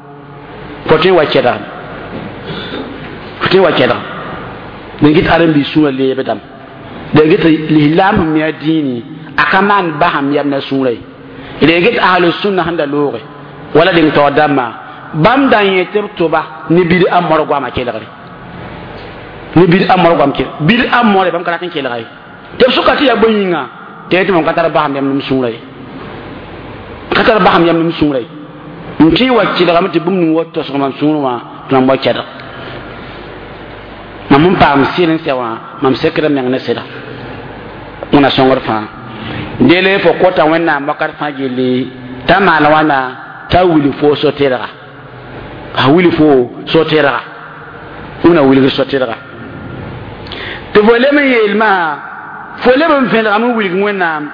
fo tõe n wa kɛdgame fo tõe n wa kɛdgame dẽn get ãdem-biis sũurã leebdame dẽn get lislaam sẽn mi a dĩini a ka maan basam yam na sũurã ye dẽn get ahlusunna sẽn da looge wala dẽng taoor dãmbã bãmb da yẽ tɩ b tʋba ne bid-a mor goamã kelgre ne bid-a mor goam kel bid-a more bãmb ka rat n kelga ye tɩ b sʋka tɩ yaa bõe yĩnga tɩ tɩ mam ka tar basam yam nem sũurã ye ka tar basam yam nem sũurã ye n tõe wa kelgame tɩ bũmb ning wa tosg mam sũurẽ wã tɩ mam wa kɛdg mam n paam sɩd n sɛ wã mam sekd meng ne sɩda wẽna sõngr fãa dele fo kota wẽnnaam wakat fãa gilli t'a maan wãna t'a wilg fo so-tɩrga a wilg fo so-tɩrga wẽna wilg so-tɩrga tɩ fo lem n yeelmã Fo leb n vẽlgame n wilg Wẽnnaam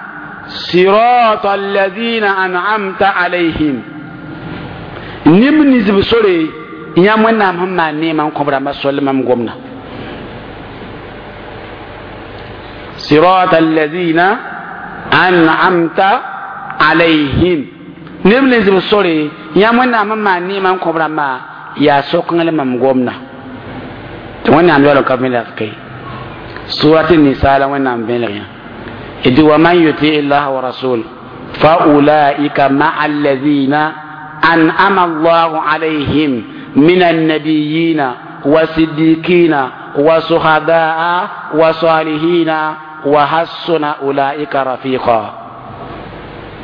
صراط الذين أنعمت عليهم neb nins b sore yãmb Wẽnnaam sẽn maan neemã n kõ b rãmbã sol mam gomda صراط الذين أنعمت عليهم neb nins b sore yãmb Wẽnnaam sẽn maan neemã n kõ b rãmbã yaa sokengl mam gomda tɩ Wẽnnaam yaool n ka vẽlg ke surat nisa la Wẽnnaam vẽlg yã إذ ومن يطيع الله ورسوله فأولئك مع الذين أنعم الله عليهم من النبيين والصديقين والشهداء والصالحين وحسن أولئك رفيقا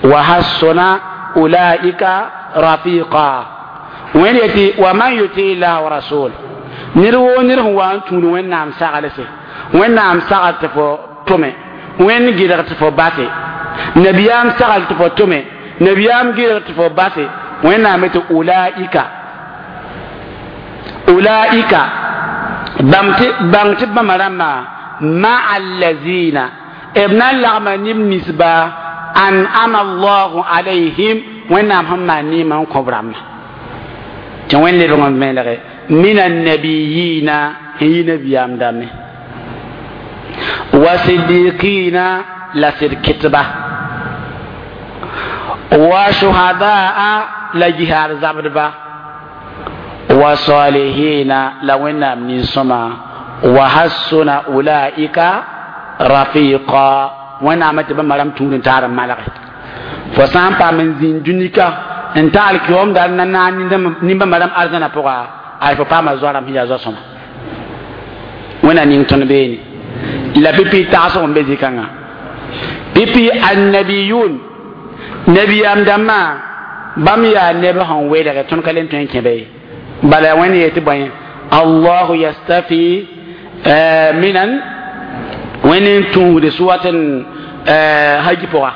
وحسن أولئك رفيقا وين يتي ومن يطيع الله ورسوله نرو نرو وان تون وين نعم ساغلسه وين نعم ساغلت فو تومي wẽnd gɩdg tɩ fo base nabiyaam sagl tɩ fo tʋme nabiyaam gɩdg tɩ fo base Wẽnnaam tɩ ulaika ulaika bãmb tɩ bãng tɩ bãmba rãmbã maa allazina b na n lagma neb ninsba an'ama allahu alayhim Wẽnnaam sẽn maan neemã n kõ b rãmbã tɩ wẽnd lebg n vẽelge min annabiyina n yi nabiyaam dãmbe وصديقين لسد كتبة وشهداء لجهار زبدبا وصالحين لونا من سما وحسن أولئك رفيقا ونا متبا مرام تون تار مالك فسان با من زين دنيكا ان تال كيوم دار نانا نيمبا مرام ارزنا بوغا اي فا ما زوارم هي زوسما ونا نين تون بيني la pipi tagsg n be zĩ-kãngã pipi annabiyun nabiyaam dãmbã bãmb yaa neb sẽn welge tõnd ka le n tõe n kẽ be ye bala wẽnd yee tɩ bõe allahu yastafi minan wẽnd n tũusd suwat n haji pʋga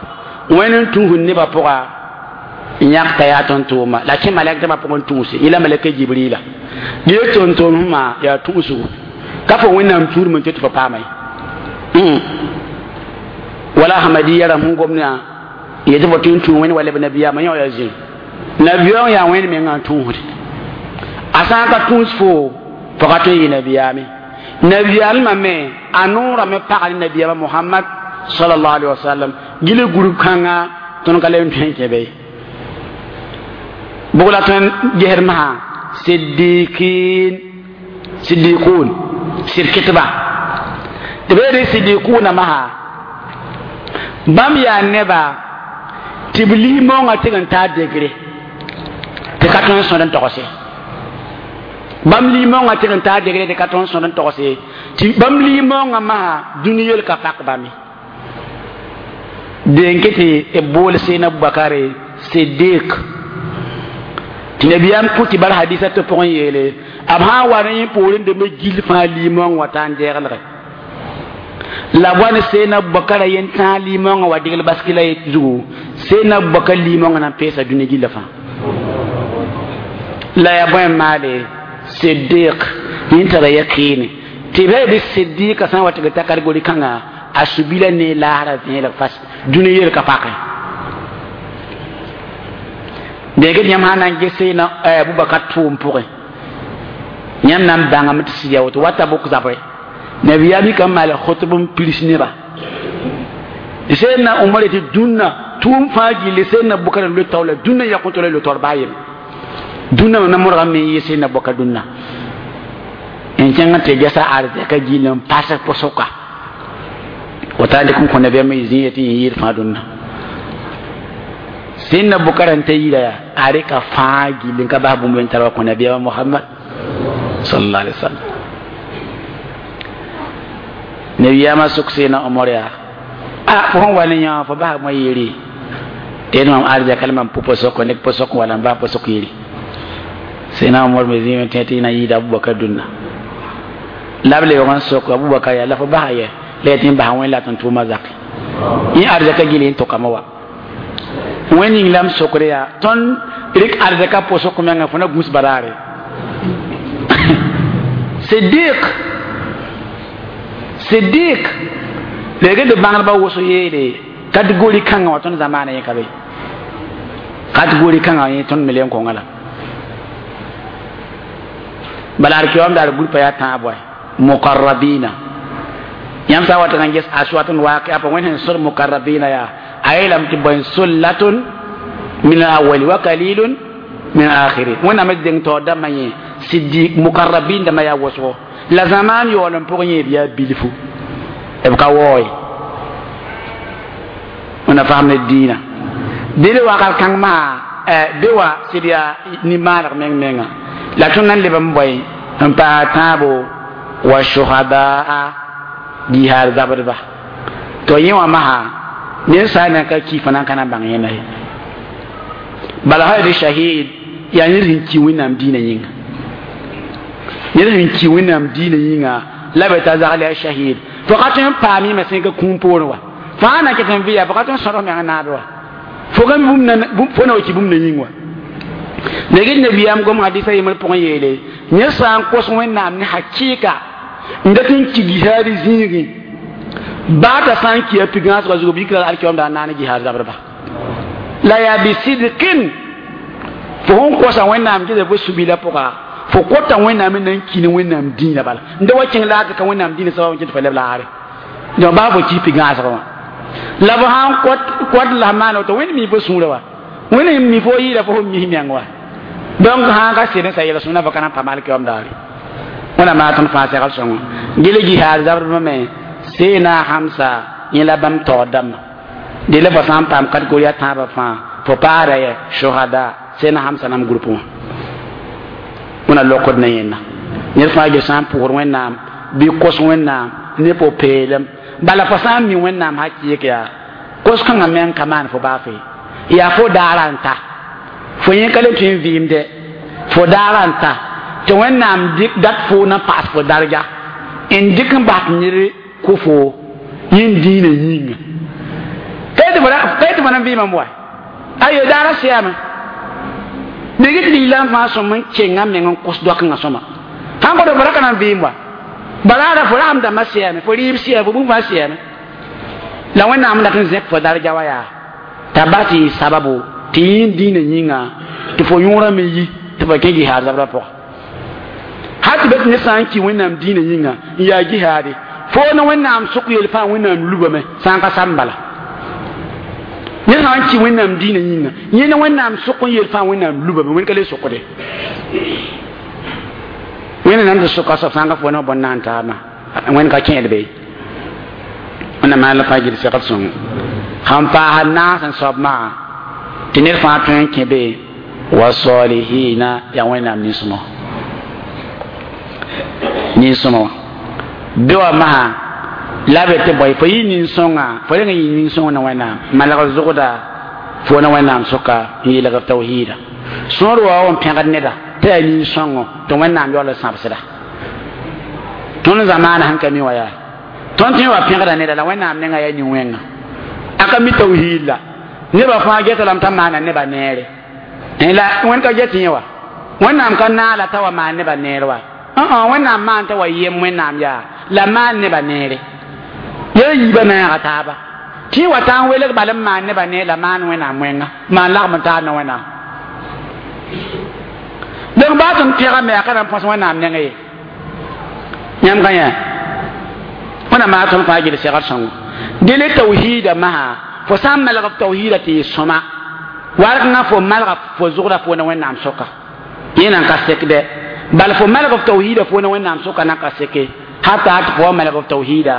wẽnd n tũusd nebã pʋga n yãk t'a yaa tõn-tʋʋma la kẽ malɛk dãmbã pʋgẽ tũuse yẽ la malɛka Jibrila gee tõn-tʋʋmsmã yaa tũusgo ka fo wẽnnaam tũudme n tɩ tɩ fo paama ye wala ahmadiyya ram sẽn gomdã yetɩ fo tɩ n tũ wẽnd wa leb nabiyaamã yã yaa zĩig nabiyaã yaa wẽnd mengã n tũusde a sã n ka tũus fo fo ka tõe n yɩ nabiyaame nabiyaalmã me a noorame pagl nabiyaamã Mohamad sallallahu alaihi wasallam gil group kãnga tõnd ka le n tõe n kẽ be bʋg la tõnd gesd masã siddiqin siddiqun sɩd kɩtba tɩ b yeele siddiquna masã bãmb yaa neba tɩ b lis maoongã tɩg n taa degre tɩ ka tõe n sõd n togse bãmb lis maoongã tɩg n taa degre tɩ ka tõe n sõd n togse tɩ bãmb lis maoongã masã dũni yel ka pak bãmb den ke tɩ b bool Seydina Abubakare Siddiq tɩ nabiyaam kʋ tɩ bar hadisa tɩ pʋgẽ yeele b sã n wa ne yẽ poorẽ deme gill fãa limaoong wa taa n deeglge la wa ne Seydina Abubakar yen tãag limaoongã wa degl baski la zugu Seydina Abubakar limaoongã na n peesa dũni gilla fãa la yaa bõe n maale Siddiq yẽ tara yakiine tɩ b b Siddiqa sã n wa tɩ ta kategori kãnga a subila ne laasra vẽeleg fas dũni yel ka pake dẽg yãmb sã na n ges Seydina Abubakar tʋʋm pʋgẽ yãmb na n bãngame tɩ sɩd yaa woto wata bʋk zabre nabiyaam yika n maal khutb n pirs neba Seydina Umar tɩ dũnna tʋʋm fãa gilli Seydina Abubakar n loe taoola dũnna yakõ tɩ la lo taoor baa yem dũnna mam na modgame me n yɩ Seydina Abubakar dũnna n kẽng tɩ gesa arzɛka gill n pas pʋsʋka wata dɩk n kõ nabiyaamã zĩ yetɩ yẽ yɩɩd fãa dũnna Seydina Abubakar n ta yira yaa a rɩka fãa gill n ka bas bũmb n tar wa kõ nabiyaamã Mohamad sallallahu alaihi wasallam nabiyaamã sʋk Seydina Omar yaa a fo sẽn wa ne yã fo bas moa yiri tɩ mam arzɛka la mam pʋ pʋsʋk ne pʋsʋk wala n bas pʋsʋk yiri Seydina Omar me zĩime tẽ tɩ na yɩɩda Abubakar dũnna la b lebg n sok Abubakar yaa la fo basa yɛ la yaa tɩ n basa wẽnd la tɩ n tʋʋma zake yẽ arzɛka gil yẽ tʋkame wa wẽnd ning la m sokre yaa tõnd rɩk arzɛka pʋsʋk menga fo na gũs baraare Siddiq Siddiq Lege de bãngdbã wʋsg yeele kategori kãngã wã tõnd zamaana yẽ ka be kategori kãngã yẽ tõnd me le n kõnga la bala alkiyom daar groupe yaa tãab wa mukarrabina yãmb sã n wat n ges aswat n waake apa wẽnd sẽn sod mukarrabina yaa a yeelame tɩ bõe sullatun min alawali wa kalilun min alakhirin wẽnnaam d deng taoor dãmbã yẽ siddiq mukarrabin dãmbã yaa wʋsgo la zamaan yaool n pʋgẽ yẽ b yaa bilfu b ka waooye wẽnna fasem ne diinã dẽle wakat kãng maa be wa sɩd yaa nimbãaneg meng menga la tõnd na n leb n bõe n paas tãabo wa shuhadaa jihaad zabdba to yẽ wã masã ninsaal nan ka ki fã nan ka na n bãng yẽnda ye bala sã d shahid yaa ned sẽn ki wẽnnaam diinã yĩnga ned sẽn ki wẽnnaam diinã yĩnga la be t'a zagl yaa shahid fo ka tõe n paam yẽme sẽn ka kũum poorẽ wa fãa na ket n vɩ yaa fo ka tõe n sõdg meng naabe wa fo ka bũmb fo na wa ki bũmb na yĩng wa degd nabiyaam gom hadisa yembr pʋgẽ yeele yẽ sã n kos wẽnnaam ne hakɩɩka n dat n ki jihaad zĩigẽ baa t'a sã n ki a pigãasgã zugu b yikra alkiyoom daa naane jihaad zabdba la yaa bisidkin fo sẽn kosa wẽnnaam gesa fo subila pʋga fo kota wẽnnaam n na n ki ne wẽnnaam dĩinã bala n da wa kẽng laag ka wẽnnaam dĩinã sabab n kẽ tɩ fa leb laare donc baa fo ki pigãasgã wã la fo sã n kõt la maan woto wẽnd mi fo sũurã wa wẽnd mi fo yɩɩda fo sẽn mis meng wa donc sã n ka sed n sa yɛl-sõmda fo ka na n paam alkiyoom daare wẽnnaam maa tõnd fãa segl sõngo gel jihaad zabdbã me seena hamsa yẽ la bãmb taoor dãmbã dela fo sã n paam kategori a tãabã fãa fo paada yɛ shuhada seena hamsa nam groupe wã wẽna lokd ne yẽnda ned fãa ge sã n pʋgd wẽnnaam bɩ kos wẽnnaam ne po-peelem bala fo sã n mi wẽnnaam hakɩɩk yaa kos-kãngã meng ka maan fo baa fe yaa fo daara n ta fo yẽ ka le tõe n vɩɩmdɛ fo daara n ta tɩ wẽnnaam dɩk dat fo na paas fo darja n dɩk n bas ned kʋ fo yẽn dĩinã yĩnga ka tɩ fo na n vɩɩmame wa ayo daara sɛame dɩg tɩ lislaam fãa sõm n kenga meng n kos doakẽngã sõma sãn kõ fo ra ka na n vɩɩm wa balaara fo rasem dãmbã sɛame fo rɩɩb sɛame fo bũmb fãa sɛame la wẽnnaam dat n zẽk fo darja wa yaa t'a bas tɩ yɩ sababo tɩ yẽ dĩinã yĩnga tɩ fo yõorã me yi tɩ fo kẽ jihaad zabdã pʋga hal tɩ be tɩ ned sã n ki wẽnnaam dĩinã yĩnga n yaa jihaade fo ne wẽnnaam sʋk yel fãa wẽnnaam lubame sã n ka sam bala ned sã n ki wẽnnaam dĩinã yĩnga yẽ ne wẽnnaam sʋk n yel fãa wẽnnaam lubame wẽnd ka le sʋkde wẽnd nan tɩ sʋka soab sã n ka fo ne bõn naan taabã wẽnd ka kẽed be wẽnnaam maan la fãa gil segl sõngo sẽn paas naas n soab maa tɩ ned fãa tõe n kẽ be wa salihina yaa wẽnnaam nin-sõma nin-sõma wã be wa masã la be tɩ bõe fo yɩ nin-sõnga fo reng n yɩ nin-sõng na wẽnnaam malg zʋgda fo na wẽnnaam sʋka n yeelg f tawhiida sõor wa n pẽgd neda tɩ yaa nin-sõngo tɩ wẽnnaam yaool n sãbsda tõnd zamaana sẽn ka mi wa yaa tõnd tõe wa pẽgda neda la wẽnnaam nenga yaa nin-wẽnga a ka mi tawhiid la nebã fãa geta lame t'a maana nebã neere la wẽnd ka get yẽ wa wẽnnaam ka naala t'a wa maan nebã neer wa wẽnnaam maan t'a wa yem wẽnnaam yaa la maan nebã neere yaa yiibã naaga taaba tɩ wa taa n welg bal n maan nebã neer la maan wẽnnaam wẽnga maan lagm n taar ne wẽnnaam donc baa tõnd pẽgame a ka na n põs wẽnnaam nengã ye yãmb ka yã wẽnnaam maa tõnd fãa gel segr sõngo dele tawhiida masã fo sã n malg f tawhiida tɩ yɩ sõma warkãngã fo malga fo zʋgda fo ne wẽnnaam sʋka yẽ nan ka sekdɛ bal fo malg f tawhiida fo ne wẽnnaam sʋka nan ka seke hata tɩ fo wa malg f tawhiida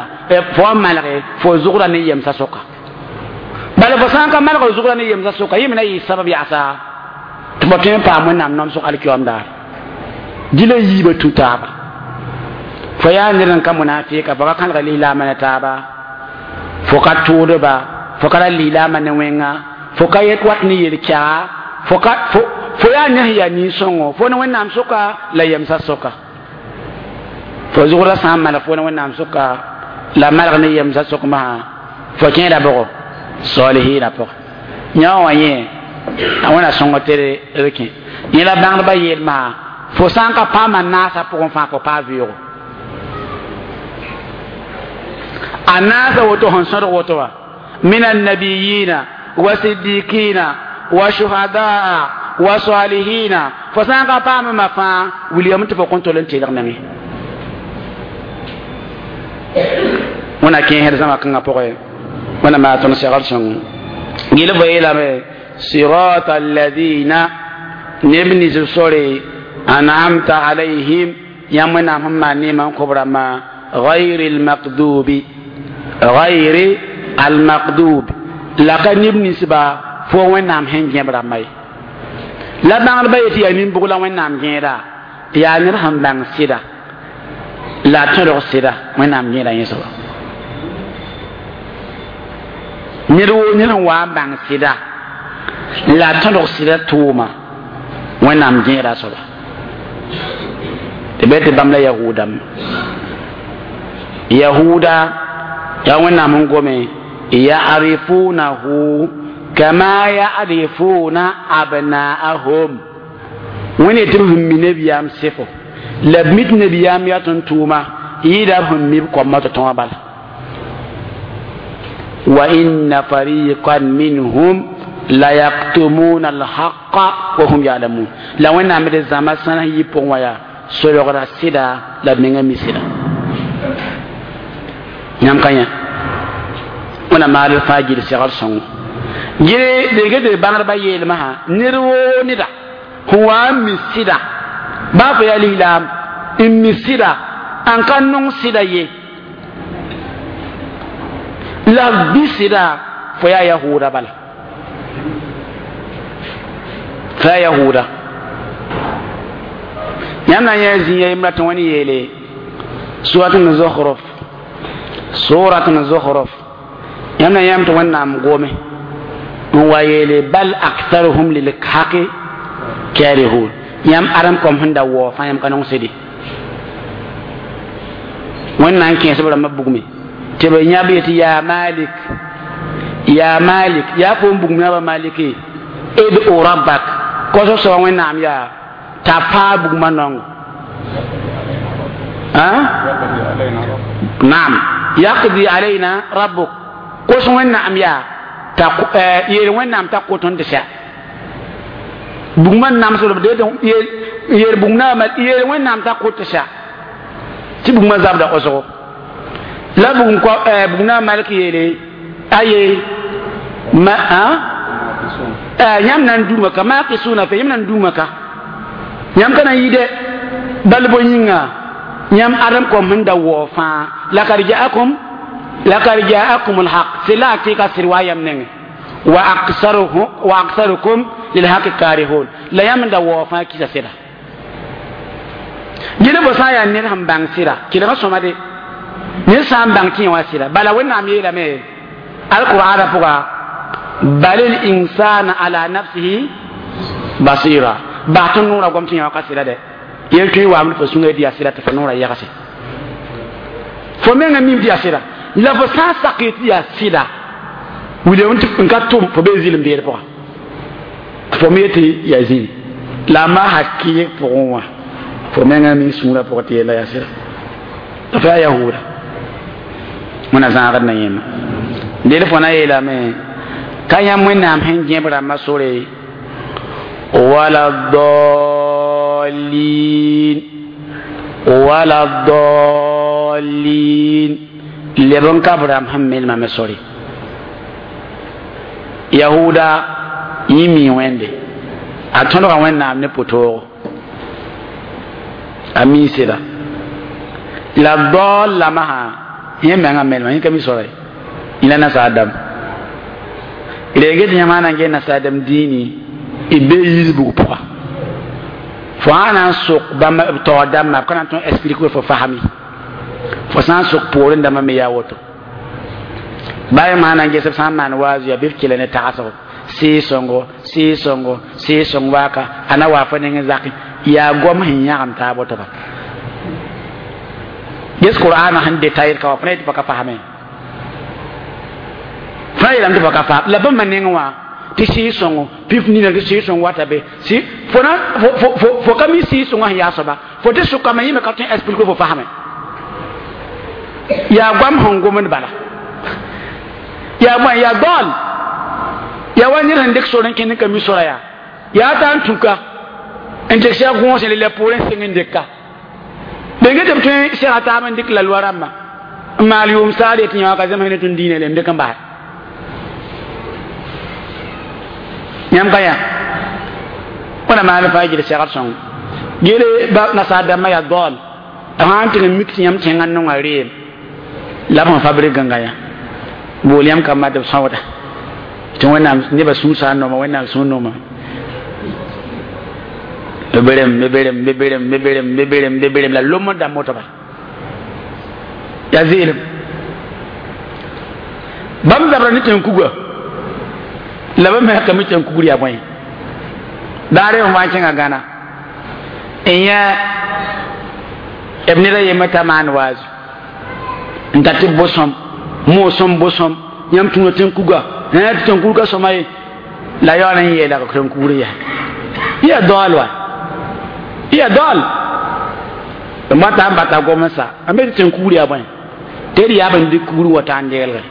fo wa malge fo zʋgda ne yemsã sʋka bal fo sã n ka malg f zʋgda ne yemsã sʋka yẽ me na yɩ sabab yaasa tɩ fo tõe n paam wẽnnaam namsg alkiyoom daare dɩla yiibã tũ taaba fo yaa ned n ka munafika fo ka kãlga lislaamã ne taaba fo ka tʋʋdba fo ka ra lislaamã ne wẽnga fo ka yet wat ne yel-kɛga fo ka fo fo yaa ned sẽn yaa nin-sõngo fo ne wẽnnaam sʋka la yemsã sʋka fo zʋgdã sã n malg fo ne wẽnnaam sʋka la malg ne yemsã sʋk masã fo kẽeda bʋgo salihina pʋgẽ yã wã yẽ a wẽna sõngo tɩ d kẽ yẽ la bãngdbã yeel masã fo sã n ka paama naasã pʋgẽ fãa fo paa vɩʋʋgo A naasa woto sẽn sõdg woto wã min annabiyina wa siddiqina wa shuhadaa wa salihina fo sã n ka paamema fãa wilgame tɩ fo kõn tol n teelg menge wẽna kẽesd zãma kãngã pʋgẽ wẽna maa tõnd segd sõng gil fo yeelame صراط الذين neb nins b sore an'amta alayhim yãmb wẽnnaam sẽn maan neemã n kõ b rãmbã غير المغضوب غير المغضوب la ka neb ninsba fo wẽnnaam sẽn gẽb rãmba ye la bãngdbã yetɩ yaa nin-bʋg la wẽnnaam gẽeda yaa ned sẽn bãng sɩda la a tõdg sɩda wẽnnaam gẽeda yẽ soaba ned woo ned sẽn wa n bãng sɩda la a tõdg sɩda tʋʋma wẽnnaam gẽeda a soaba tɩ bɩ tɩ bãmb la yahudame yahuda yaa wẽnnaam n gome ya'rifunahu kama ya'rifuna abna'ahum wẽnd tɩ b sẽn mi nebiyaam sɩfo la b mi tɩ nebiyaam yaa tõnd tʋʋma yɩɩda b sẽn mi b koamã tɩ tõa bala wa inna fariqan minhum la yaktumuna alhaqa wa hum ya'lamun la wẽnnaam d zãma sãn yɩ pʋgẽ wã yaa solgra sɩda la b menga mi sɩda yãmb ka yã wẽna maal fãa gil segr sõngo gɩ dɩk tɩ bãngdbã yeelmã ned woo neda sẽn wa n mi sɩda baa fo yaa lislaam n mi sɩda n ka nong sɩda ye la b bɩ sɩda fo yaa yahuuda bala fo yaa yahuuda yãmb na n yã zĩ yembra tɩ wẽnd yeele surat n zokhruf surat n zokhruf yãmb na yãmb tɩ wẽnnaam gome n wa yeele bal aktharuhum lilhaqi karihun yãmb adem kom sẽn da waoog fãa yãmb ka nong sɩde wẽnnaam kẽes b rãmbã bugme tɩ b yãb yetɩ yaa malik yaa malik yaa foom bugum yãba maliki id'u rabbak kosg soaba wẽnnaam yaa t'a paa bugmã naongo naam yaqdi alayna rabbuk kos wẽnnaam yaa t'a yeel wẽnnaam t'a kot n tɩ sɛ bugmã namsd b yeel bugm naama yeel wẽnnaam t'a kot tɩ sɛ tɩ bugmã zabda osgo la bugum bugm naam malk yeele aye ma yãmb na n dũma ka maakɩsʋʋna fe yãmb na n dũma ka yãmb ka na n yɩ dɛ bal bo yĩnga yãmb adem kom sẽn da waoog fãa lakad jaakum lakad jaakum alhaq sɩla a kɩka sɩd wa yãmb nengẽ wa aksaruhum wa aksarukum lilhaqi karihun la yãmb n da waoog fãa kisa sɩda gɩd fo sã n yaa ned sẽn bãng sɩda kelga sõma de ned sã n bãng tɩ yẽ wã sɩda bala wẽnnaam yeelame alqur'ana pʋga bal linsana ala nafsihi basira bas tɩ noorã gom tɩ yẽ wã ka sɩda dɛ yel tõe waam fo sũnga tɩ yaa sɩda tɩ fo noorã yagse fo menga mim tɩ yaa sɩda la fo sã n sak tɩ yaa sɩda wilem n ka tʋm fo bee zɩlem beed pʋga fo me yetɩ yaa zĩni la a maa hakɩɩg pʋgẽ wã fo menga mi sũurã pʋgẽ tɩ yella yaa sɩda la fo yaa yahuuda wẽna zãagd na yẽmma del fo na yeelame ka yãmb wẽnnaam sẽn gẽb rãmbã sore wala dallin wala dallin leb n ka b rãmb sẽn melma me sore yahuda yẽ mi wẽnde a tõdga wẽnnaam ne pʋtoogo a mi sɩda la daal lama sã yẽ menga melma yẽ ka mi sora ye yẽ la nasaar dãmb reege tɩ yãmb na n ges nasaar dãmb dĩini b bee yisbg pʋga fo sã na n sok bãmb b taoor dãmbã b ka na n tõe n explique fo fasame fo sã n sok poorẽ dãmbã me yaa woto baa yãmb sã na n ges b sã n maan waazu yaa bɩ b kela ne tagsgo sɩɩg-sõngo sɩɩg-sõngo sɩɩg-sõng waaka a na waa fo neng zake yaa gom sẽn yãgem taab woto ba ges qur'ana sẽn détaillé ka wa fo na yetɩ fo ka fasame fo na yeelame tɩ fo ka fasam la bãmba neng wã tɩ sɩɩg-sõngo pif nina tɩ sɩɩg-sõng wata be si fo na fo fo fo ka mi sɩɩg-sõngã sẽn yaa soaba fo tɩ sʋkame yẽ me ka tõe n explique fo fasame Yaa goam sẽn gomd bala yaa bõe yaa daool yaa wa ned sẽn dɩk sor n kẽnd n ka mi sora yaa yaa t'a n tũka n dɩk sɛg gõos n le poorẽ seng n dɩka benge tɩ b tõe sɛga taab n dɩk la loa rãmbã n maal yʋʋm saar yetɩ yã ka zems ne tõnd diinã le n dɩk n bas yãmb ka yã wẽna maan fãa gil segd sõng gele ba nasaar dãmbã yaa daool b sã n tɩg n mik tɩ yãmb tẽngã n nonga reem la b sẽn fabrik gãnga yã bool yãmb kambã tɩ b sõgda tɩ wẽnnaam nebã sũur sã n nooma wẽnnaam sũur nooma b berem b berem b berem b berem b berem b berem la lom n dãmb woto bala yaa zeelem bãmb zabra ne tẽn-kuga la b me ka mi tẽn-kugr yaa bõe daare n wa n kẽnga Gãna n yã b ned a yembr t'a maan waazu n tar tɩ b bʋ-sõm moosõm bʋ-sõm yãmb tũuna tẽn-kuga tɩ tẽn-kugr ka sõma ye la yaool n yeela tẽn-kugr yaa yaa daool wa yaa daool b mata n bata gom n sa a me tɩ tẽn-kugr yaa bõe tɩ d yaab n dɩk kugr wa t'a n degelge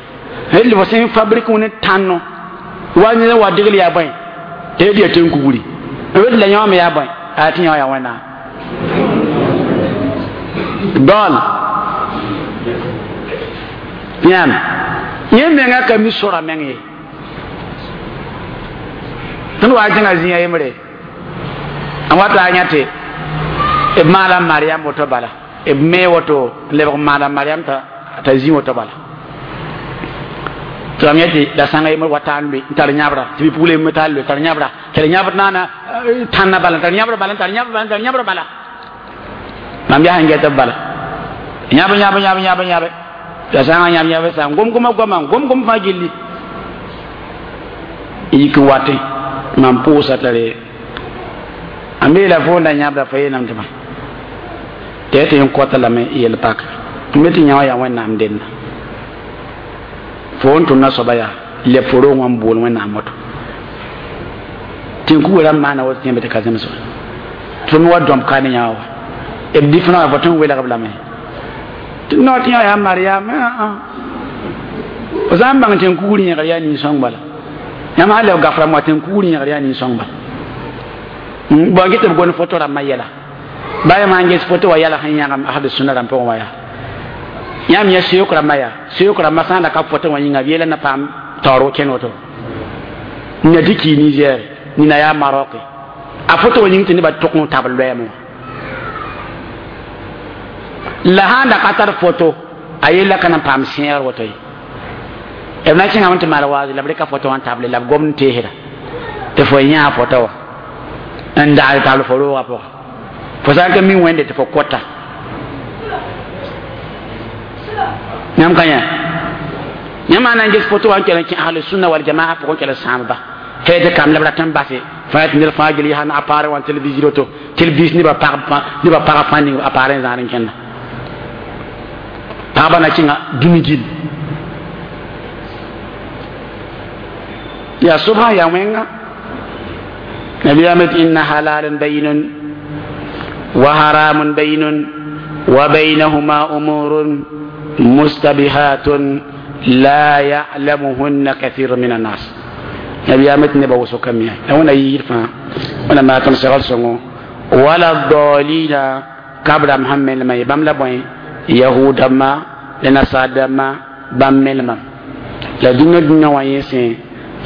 d fo sẽn fabrik ne tãnno wa ned wa degl yaa bõe tɩ d yaa tẽn-kugri b la yõ me yaa bõe a tɩ yõ yaa wẽnnaam daool yãmb yẽ menga ka mi sora meng ye tõnd wa kẽnga zĩiga yembre n wata a yã tɩ b maala mariam woto bala b me woto n lebg n maala mariam t'a zĩ woto bala tɩ mam yã tɩ la sãnga yembr wata n loe n tar yãbra tɩ bɩ-pugl yembr t'a loe tar yãbra tar yãbr naana tãnna bala tar yãbr bala tar yãbr bala tar yãbr bala mam yaa sẽn get b bala yãb yãb yãb yãb yãbe la sãnga yãb yãb sã n gom-goma goama n gom-gom fãa gilli n yik n watẽ mam pʋʋsa t'a re a me la fo n da yãbda fa yeelame tɩ bã tɩ ya tɩ n kota lame yel pak n me tɩ yã wã yaa wẽnnaam denda fo n tʋmda soaba yaa leb fo roog wã n bool wẽnnaam woto tẽn-kuga rãmb maana woto tɩ yãmb tɩ ka zems wa tɩ wa dõmb ka ne yã wa b difrã wã fo tõe n welg b lame tɩ no tɩ yã yaa mariam fo sã n bãng tẽn-kugr yẽgr yaa nin-sõng bala yãmb sã leb gaf rãmb wã tẽn-kugr yẽgr yaa nin-sõng bala bõn get b gom foto rãmbã yɛla ba yãmb sãn ges foto wa yɛla sẽn yãgem ahd sũna rãmb pʋgẽ wã yaa yãmb yã seook rãmbã yaa seook rãmbã sã n da ka foto wã yĩnga b yeela na paam taoor kẽn woto nina tɩ kii Niger nina yaa Maroc a foto wã yĩng tɩ nebã tʋk n tabl loɛɛm wã la sãn da ka tar foto a yella ka na n paam sẽegr woto ye b na kẽngame tɩ maal waaz la b rɩka foto wã n table la b gomd n teesda tɩ fo yã a foto wã n dagl tabl fo roogã pʋga fo sã n ka mi wẽnde tɩ fo kota yãmb ka yã yãmb na n ges foto wã n kell n kẽ ahlu sunna wal jamaa pʋgẽ kell n sãamba tɩ kam la b rat n base fãa tɩ ned fãa gil yaa n appareil wã télévision woto télévis nebã pag nebã pagã fãa ning appareil n zãad n kẽnda pagba na kẽnga dũni gil yaa sobsã yaa wẽnga nabiyaam tɩ inna halalun bayinun wa haramun bayinun wa baynahuma umurun mustabihatun la ya'lamuhunna kathiru min annas nabiyaam tɩ nebã wʋsg ka miya la wẽna yiir fãa wẽna maa tõnd segl sõngo wala dalina kab rãmb sẽn melma ye bãmb la bõe yahudãmba la nasaar-dãmba bãmb melma la dũnã dũnã wã yẽ sẽ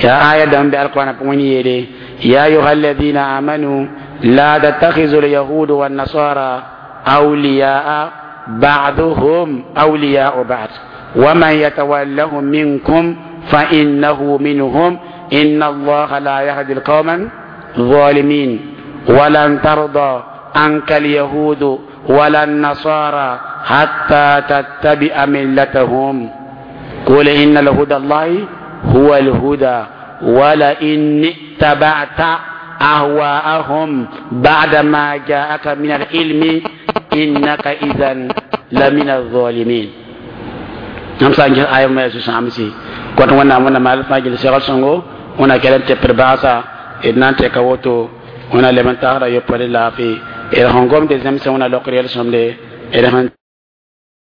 ya aya dãmb bɩ alqurana pʋgẽ yeele يا أيها الذين آمنوا لا تتخذوا اليهود والنصارى أولياء بعضهم أولياء بعض ومن يتولهم منكم فإنه منهم إن الله لا يهدي القوم الظالمين ولن ترضى عنك اليهود ولا النصارى حتى تتبع ملتهم قل إن الهدى الله هو الهدى ولئن اتبعت أهواءهم بعدما جاءك من العلم إنك إذا لمن الظالمين nam sã n ges aya ma su-sãamsi kõt wẽnnaam wẽnna maal fãa gil segl sõngo wẽna kell n tɩpd baasa d na n tɛka woto wẽna leb n tagsda yopoe laafɩ d sẽn gomd zẽmsẽ wẽna lokr yel-sõmde d sẽn